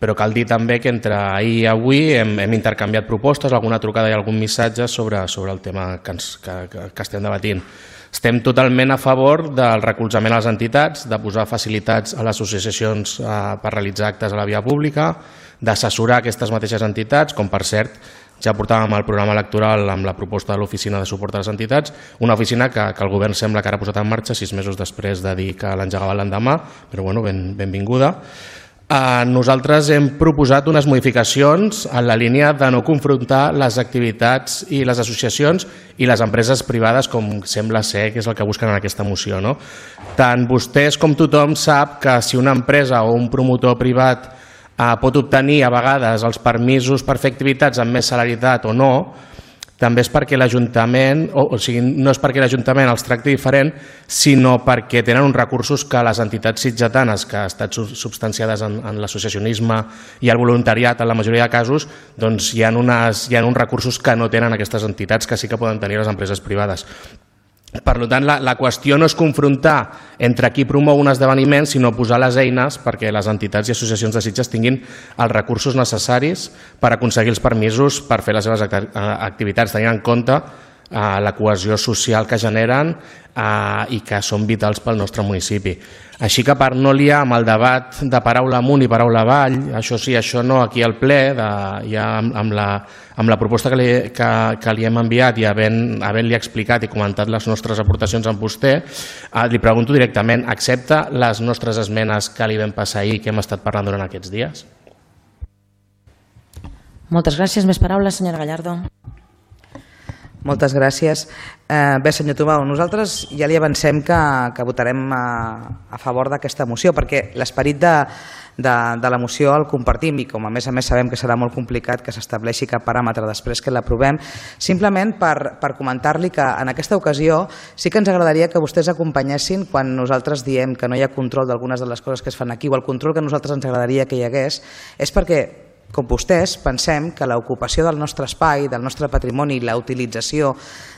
Però cal dir també que entre ahir i avui hem, hem intercanviat propostes, alguna trucada i algun missatge sobre, sobre el tema que, ens, que, que, que estem debatint. Estem totalment a favor del recolzament a les entitats, de posar facilitats a les associacions eh, per realitzar actes a la via pública, d'assessorar aquestes mateixes entitats, com per cert ja portàvem el programa electoral amb la proposta de l'Oficina de Suport a les Entitats, una oficina que, que el govern sembla que ara ha posat en marxa sis mesos després de dir que l'engegava l'endemà, però bueno, ben, benvinguda. Eh, nosaltres hem proposat unes modificacions en la línia de no confrontar les activitats i les associacions i les empreses privades, com sembla ser que és el que busquen en aquesta moció. No? Tant vostès com tothom sap que si una empresa o un promotor privat eh, pot obtenir a vegades els permisos per fer activitats amb més celeritat o no, també és perquè l'Ajuntament, o, o sigui, no és perquè l'Ajuntament els tracti diferent, sinó perquè tenen uns recursos que les entitats sitgetanes que han estat substanciades en, en l'associacionisme i el voluntariat en la majoria de casos, doncs hi ha, unes, hi ha uns recursos que no tenen aquestes entitats que sí que poden tenir les empreses privades. Per tant, la, la qüestió no és confrontar entre qui promou un esdeveniment, sinó posar les eines perquè les entitats i associacions de Sitges tinguin els recursos necessaris per aconseguir els permisos per fer les seves activitats, tenint en compte eh, la cohesió social que generen eh, i que són vitals pel nostre municipi. Així que per no liar amb el debat de paraula amunt i paraula avall, això sí, això no, aquí al ple, de, ja amb, amb, la, amb la proposta que li, que, que li hem enviat i havent-li havent explicat i comentat les nostres aportacions amb vostè, eh, li pregunto directament, accepta les nostres esmenes que li vam passar ahir, que hem estat parlant durant aquests dies? Moltes gràcies. Més paraules, senyora Gallardo. Moltes gràcies. Eh, bé, senyor Tomau, nosaltres ja li avancem que, que votarem a, a favor d'aquesta moció, perquè l'esperit de, de, de la moció el compartim i com a més a més sabem que serà molt complicat que s'estableixi cap paràmetre després que l'aprovem, simplement per, per comentar-li que en aquesta ocasió sí que ens agradaria que vostès acompanyessin quan nosaltres diem que no hi ha control d'algunes de les coses que es fan aquí o el control que a nosaltres ens agradaria que hi hagués, és perquè com vostès, pensem que l'ocupació del nostre espai, del nostre patrimoni i la utilització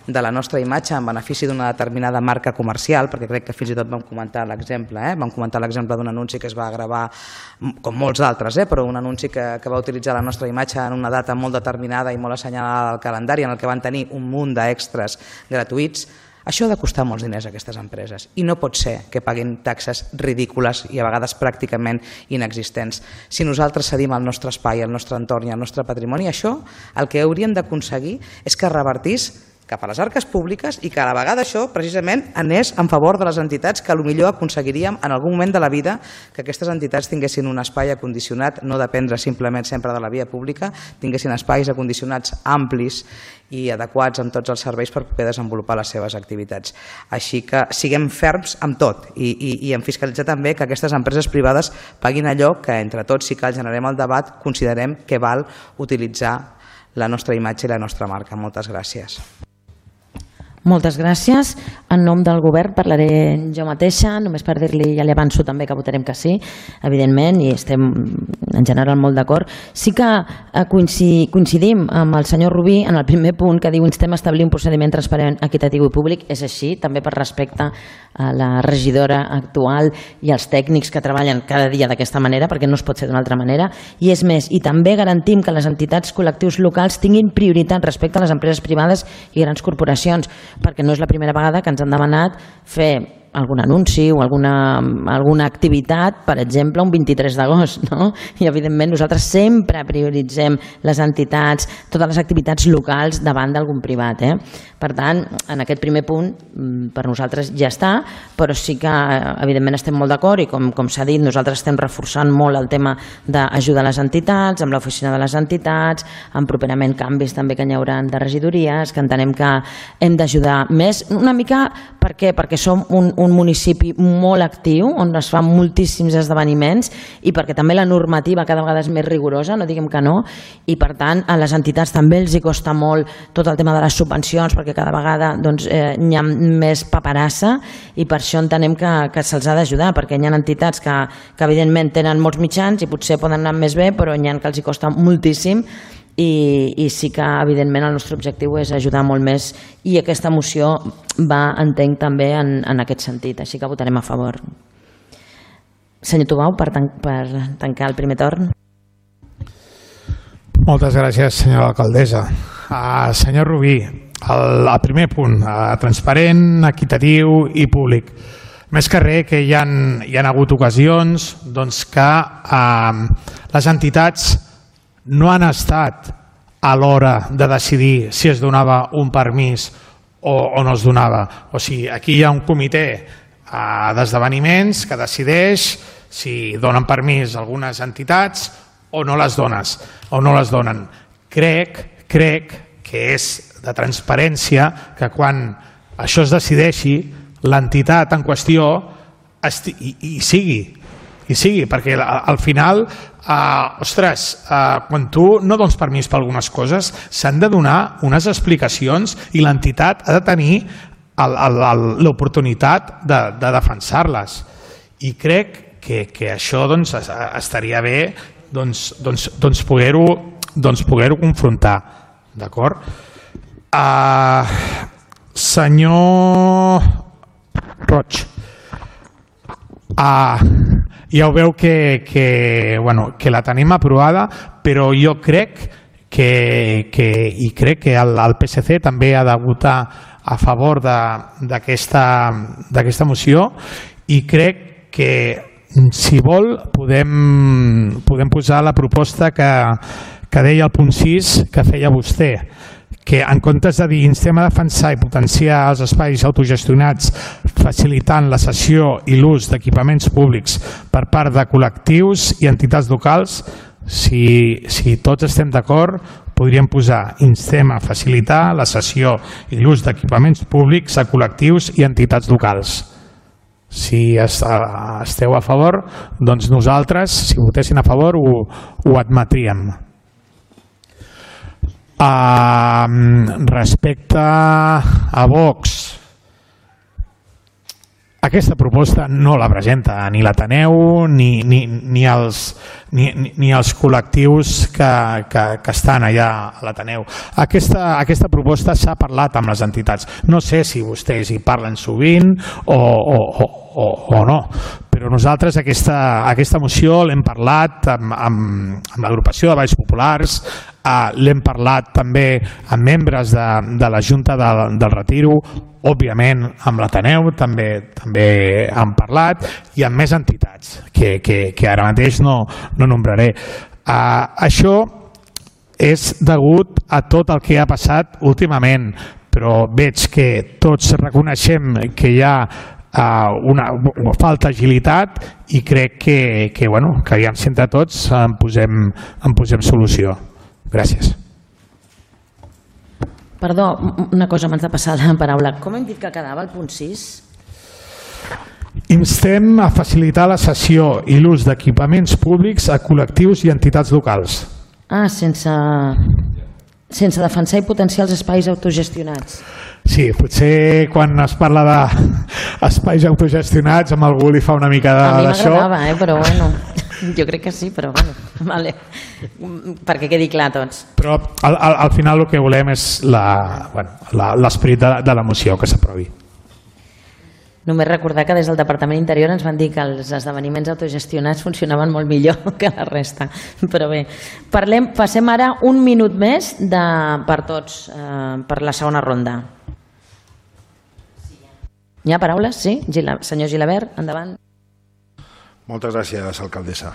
de la nostra imatge en benefici d'una determinada marca comercial, perquè crec que fins i tot vam comentar l'exemple, eh? vam comentar l'exemple d'un anunci que es va gravar, com molts d'altres, eh? però un anunci que, que va utilitzar la nostra imatge en una data molt determinada i molt assenyalada al calendari, en el que van tenir un munt d'extras gratuïts. Això ha de costar molts diners a aquestes empreses i no pot ser que paguin taxes ridícules i a vegades pràcticament inexistents. Si nosaltres cedim el nostre espai, el nostre entorn i el nostre patrimoni, això el que hauríem d'aconseguir és que revertís cap a les arques públiques i que a la vegada això precisament anés en favor de les entitats que potser aconseguiríem en algun moment de la vida que aquestes entitats tinguessin un espai acondicionat, no dependre simplement sempre de la via pública, tinguessin espais acondicionats amplis i adequats amb tots els serveis per poder desenvolupar les seves activitats. Així que siguem ferms amb tot i, i, i en fiscalitzar també que aquestes empreses privades paguin allò que entre tots, si cal generem el debat, considerem que val utilitzar la nostra imatge i la nostra marca. Moltes gràcies. Moltes gràcies. En nom del govern parlaré jo mateixa, només per dir-li, ja li avanço també que votarem que sí, evidentment, i estem en general molt d'acord. Sí que coincidim amb el senyor Rubí en el primer punt que diu instem a establir un procediment transparent, equitatiu i públic. És així, també per respecte a la regidora actual i als tècnics que treballen cada dia d'aquesta manera, perquè no es pot fer d'una altra manera. I és més, i també garantim que les entitats col·lectius locals tinguin prioritat respecte a les empreses privades i grans corporacions, perquè no és la primera vegada que ens han demanat fer algun anunci o alguna, alguna activitat, per exemple, un vint-i-tres d'agost, no? I evidentment nosaltres sempre prioritzem les entitats, totes les activitats locals davant d'algun privat. Eh? Per tant, en aquest primer punt, per nosaltres ja està, però sí que evidentment estem molt d'acord i com, com s'ha dit, nosaltres estem reforçant molt el tema d'ajudar les entitats, amb l'oficina de les entitats, amb properament canvis també que n'hi haurà de regidories, que entenem que hem d'ajudar més, una mica, per què? Perquè som un, un municipi molt actiu, on es fan moltíssims esdeveniments i perquè també la normativa cada vegada és més rigorosa, no diguem que no, i per tant a les entitats també els hi costa molt tot el tema de les subvencions, perquè cada vegada doncs, eh, hi ha més paperassa i per això entenem que, que se'ls ha d'ajudar, perquè hi ha entitats que, que evidentment tenen molts mitjans i potser poden anar més bé, però hi ha que els hi costa moltíssim. I, i sí que evidentment el nostre objectiu és ajudar molt més i aquesta moció va, entenc, també en, en aquest sentit, així que votarem a favor. Senyor Tubau, per, tan, per tancar el primer torn. Moltes gràcies, senyora alcaldessa. Uh, senyor Rubí, el, el primer punt, uh, transparent, equitatiu i públic. Més que res que hi ha, hi ha hagut ocasions doncs, que uh, les entitats no han estat a l'hora de decidir si es donava un permís o, o no es donava. O sigui, aquí hi ha un comitè uh, d'esdeveniments que decideix si donen permís a algunes entitats o no les dones, o no les donen. Crec, crec que és de transparència que quan això es decideixi, l'entitat en qüestió hi, hi sigui, i sigui, perquè al final, eh, ostres, eh, quan tu no dones permís per algunes coses, s'han de donar unes explicacions i l'entitat ha de tenir l'oportunitat de, de defensar-les. I crec que, que això doncs, estaria bé doncs, doncs, doncs poder-ho doncs poder-ho confrontar. D'acord? Uh, senyor Roig, uh, ja ho veu que, que, bueno, que la tenim aprovada, però jo crec que, que, i crec que el, el P S C també ha de votar a favor d'aquesta moció i crec que si vol podem, podem posar la proposta que, que deia el punt sis que feia vostè, que en comptes de dir instem a defensar i potenciar els espais autogestionats facilitant la cessió i l'ús d'equipaments públics per part de col·lectius i entitats locals, si, si tots estem d'acord, podríem posar instem a facilitar la cessió i l'ús d'equipaments públics a col·lectius i entitats locals. Si esteu a favor, doncs nosaltres, si votessin a favor, ho, ho admetríem. Uh, respecte a Vox, aquesta proposta no la presenta ni l'Ateneu ni, ni, ni, els, ni, ni els col·lectius que, que, que estan allà a l'Ateneu. Aquesta, aquesta proposta s'ha parlat amb les entitats. No sé si vostès hi parlen sovint o, o, o, o no, però nosaltres aquesta, aquesta moció l'hem parlat amb, amb, amb l'agrupació de Valls Populars, eh, l'hem parlat també amb membres de, de la Junta del, del Retiro, òbviament amb l'Ateneu també també han parlat i amb més entitats que, que, que ara mateix no, no nombraré. Uh, això és degut a tot el que ha passat últimament, però veig que tots reconeixem que hi ha uh, una, una falta d'agilitat i crec que, que, bueno, que aviam si entre tots en posem, en posem solució. Gràcies. Perdó, una cosa abans de passar la paraula. Com hem dit que quedava el punt sis? Instem a facilitar la cessió i l'ús d'equipaments públics a col·lectius i entitats locals. Ah, sense, sense defensar i potenciar els espais autogestionats. Sí, potser quan es parla d'espais autogestionats amb algú li fa una mica d'això. A mi m'agradava, eh? Però bueno... Jo crec que sí, però bueno, vale. Perquè quedi clar tots. Però al, al, al final el que volem és la, bueno, la, l'esperit de, de la moció que s'aprovi. Només recordar que des del Departament d'Interior ens van dir que els esdeveniments autogestionats funcionaven molt millor que la resta. Però bé, parlem, passem ara un minut més de, per tots, eh, per la segona ronda. Hi ha paraules? Sí? Gila, senyor Gilabert, endavant. Moltes gràcies, alcaldessa.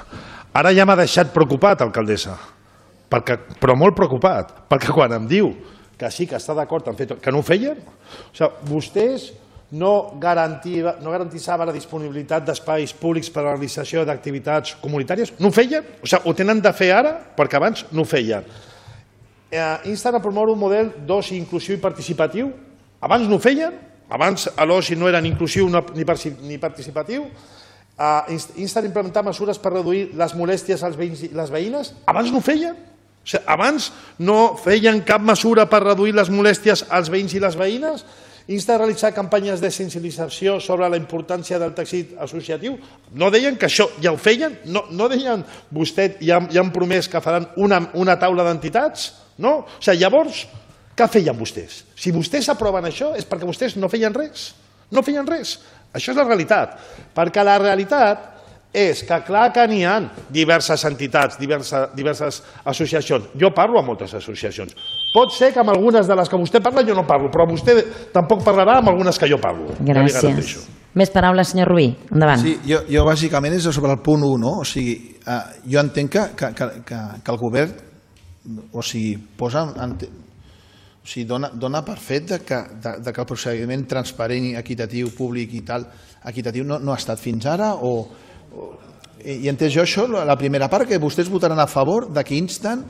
Ara ja m'ha deixat preocupat, alcaldessa, perquè, però molt preocupat, perquè quan em diu que sí que està d'acord en fer tot, que no ho feien, o sigui, vostès no, garantia, no garantissaven la disponibilitat d'espais públics per a la realització d'activitats comunitàries, no ho feien, o sigui, ho tenen de fer ara perquè abans no ho feien. Eh, insten a promoure un model d'oci inclusiu i participatiu, abans no ho feien, abans l'oci no era ni inclusiu ni participatiu. Uh, insten a implementar mesures per reduir les molèsties als veïns i les veïnes? Abans no ho feien. O sigui, abans no feien cap mesura per reduir les molèsties als veïns i les veïnes? Insta a realitzar campanyes de sensibilització sobre la importància del teixit associatiu? No deien que això ja ho feien? No, no deien vostè ja, ja han promès que faran una, una taula d'entitats? No? O sigui, llavors, què feien vostès? Si vostès aproven això és perquè vostès no feien res. No feien res. Això és la realitat, perquè la realitat és que clar que n'hi ha diverses entitats, diverses, diverses associacions. Jo parlo amb moltes associacions. Pot ser que amb algunes de les que vostè parla jo no parlo, però vostè tampoc parlarà amb algunes que jo parlo. Gràcies. Ja Més paraules, senyor Rubí. Endavant. Sí, jo, jo bàsicament és sobre el punt u, no? O sigui, eh, jo entenc que, que, que, que el govern o sigui, posa... O sigui, dona, dona per fet de que, de, de que el procediment transparent, equitatiu, públic i tal, equitatiu no, no ha estat fins ara o, o i entès jo això, la primera part, que vostès votaran a favor de que insten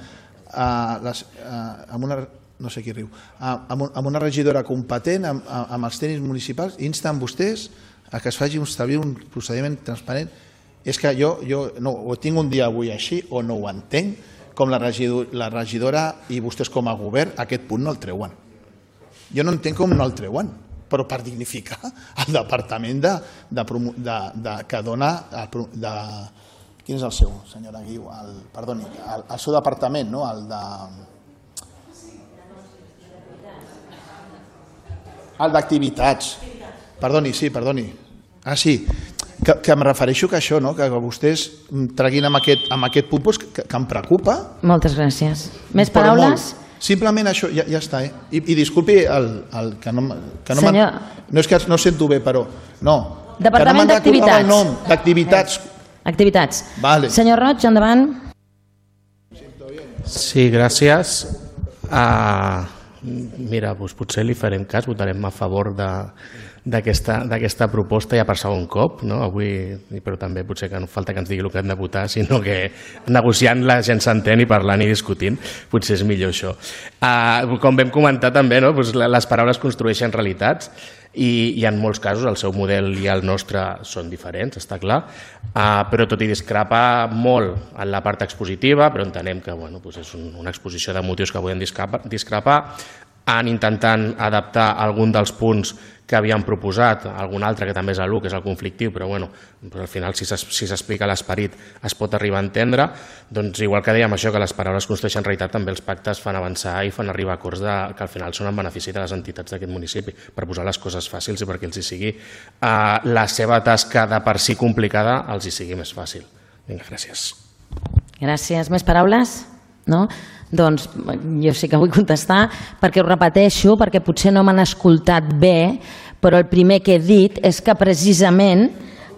a les, a, amb una, no sé qui riu, a, amb, amb una regidora competent, amb, amb els tècnics municipals, insten vostès a que es faci establir un procediment transparent. És que jo, jo no, ho tinc un dia avui així o no ho entenc, com la regidora i vostès com a govern, aquest punt no el treuen. Jo no entenc com no el treuen, però per dignificar el departament de, de, de, de, que dona... De, quin és el seu, senyora Guiu? El, perdoni, el, el seu departament, no? El de... El d'activitats. Perdoni, sí, perdoni. Ah, sí. Que, que em refereixo que això, no? Que vostès treguin amb aquest, amb aquest punt doncs, que, que em preocupa. Moltes gràcies. Més paraules? Simplement això, ja, ja està. Eh? I, I disculpi el, el que no, que no, Senyor... no és que no sento bé, però no. Departament d'Activitats. No d'activitats. Activitats. Vale. Senyor Roig, endavant. Sí, gràcies. Uh, mira, doncs potser li farem cas, votarem a favor d'aquesta proposta ja per segon cop, no? Avui, però també potser que no falta que ens digui el que hem de votar, sinó que negociant la gent s'entén i parlant i discutint, potser és millor això. Uh, com vam comentar també, no? Pues les paraules construeixen realitats, i, i en molts casos el seu model i el nostre són diferents, està clar, uh, però tot i discrepa molt en la part expositiva, però entenem que bueno, doncs és un, una exposició de motius que podem discrepar, discrepar, en intentant adaptar algun dels punts que havíem proposat, algun altre que també és l'u, que és el conflictiu, però bueno, al final si s'explica l'esperit es pot arribar a entendre, doncs igual que dèiem això, que les paraules construeixen realitat, també els pactes fan avançar i fan arribar a acords de, que al final són en benefici de les entitats d'aquest municipi, per posar les coses fàcils i perquè els hi sigui eh, la seva tasca de per si complicada els hi sigui més fàcil. Vinga, gràcies. Gràcies. Més paraules? No? Doncs jo sí que vull contestar perquè ho repeteixo, perquè potser no m'han escoltat bé, però el primer que he dit és que precisament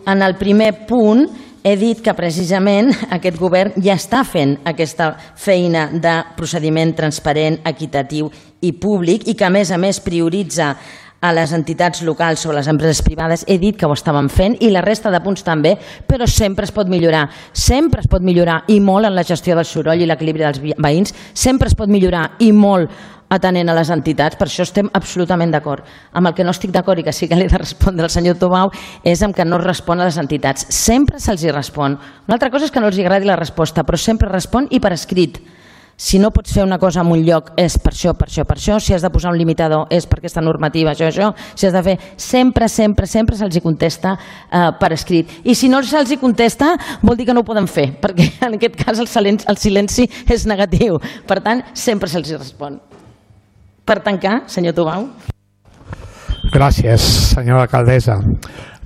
en el primer punt he dit que precisament aquest govern ja està fent aquesta feina de procediment transparent, equitatiu i públic i que a més a més prioritza a les entitats locals o a les empreses privades. He dit que ho estàvem fent i la resta de punts també, però sempre es pot millorar. Sempre es pot millorar i molt en la gestió del soroll i l'equilibri dels veïns. Sempre es pot millorar i molt atenent a les entitats. Per això estem absolutament d'acord. Amb el que no estic d'acord i que sí que li he de respondre al senyor Tobau és amb que no es respon a les entitats. Sempre se'ls hi respon. Una altra cosa és que no els agradi la resposta, però sempre respon i per escrit. Si no pots fer una cosa en un lloc és per això, per això, per això, si has de posar un limitador és per aquesta normativa, això, això, si has de fer, sempre, sempre, sempre se'ls hi contesta eh, per escrit. I si no se'ls hi contesta vol dir que no ho poden fer, perquè en aquest cas el silenci, el silenci és negatiu. Per tant, sempre se'ls hi respon. Per tancar, senyor Tobau. Gràcies, senyora alcaldessa.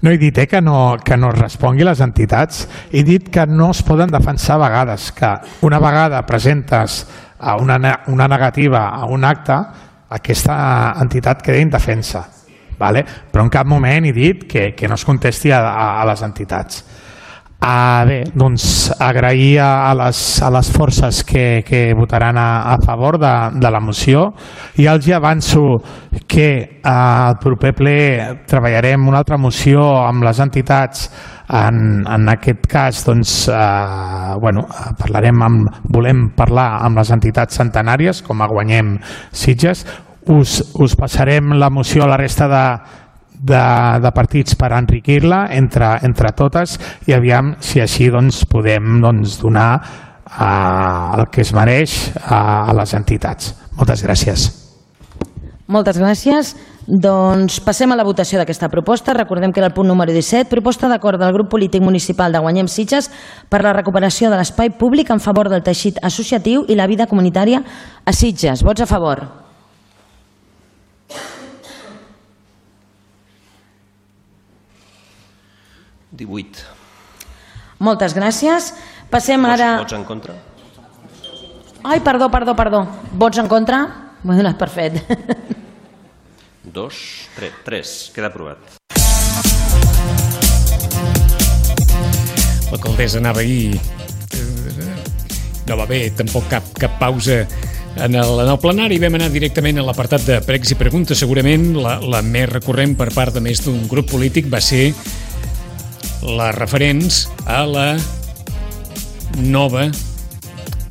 No he dit eh, que, no, que no es respongui a les entitats, he dit que no es poden defensar a vegades, que una vegada presentes a una, una negativa a un acte, aquesta entitat queda indefensa. Vale? Però en cap moment he dit que, que no es contesti a, a, a les entitats. Ah, bé, doncs agrair a les, a les forces que, que votaran a, a favor de, de la moció i els avanço que al proper ple treballarem una altra moció amb les entitats. En, en aquest cas doncs, eh, bueno, parlarem amb, volem parlar amb les entitats centenàries com a Guanyem Sitges. Us, us passarem la moció a la resta de De, de partits per enriquir-la entre, entre totes i aviam si així doncs, podem doncs, donar uh, el que es mereix uh, a les entitats. Moltes gràcies. Moltes gràcies. Doncs passem a la votació d'aquesta proposta. Recordem que era el punt número disset, proposta d'acord del grup polític municipal de Guanyem Sitges per la recuperació de l'espai públic en favor del teixit associatiu i la vida comunitària a Sitges. Vots a favor? divuit. Moltes gràcies. Passem ara... Vots en contra? Ai, perdó, perdó, perdó. Vots en contra? M'ho he donat per fet. Dos, tres, tres. Queda aprovat. L'alcaldessa anava ahir... No va bé, tampoc cap, cap pausa en el, en el plenari. Vam anar directament a l'apartat de pregs i preguntes. Segurament la, la més recurrent per part de més d'un grup polític va ser les referents a la nova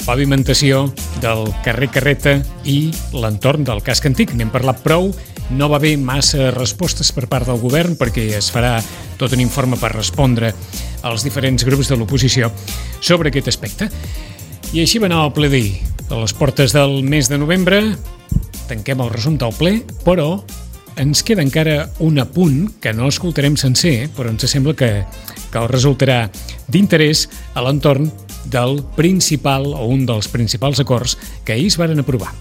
pavimentació del carrer Carreta i l'entorn del casc antic. N'hem parlat prou, no va haver massa respostes per part del govern perquè es farà tot un informe per respondre als diferents grups de l'oposició sobre aquest aspecte. I així va anar el ple d'ahir. A les portes del mes de novembre tanquem el resum del ple, però ens queda encara un apunt que no escoltarem sencer, però ens sembla que, que el resultarà d'interès a l'entorn del principal o un dels principals acords que ahir es varen aprovar.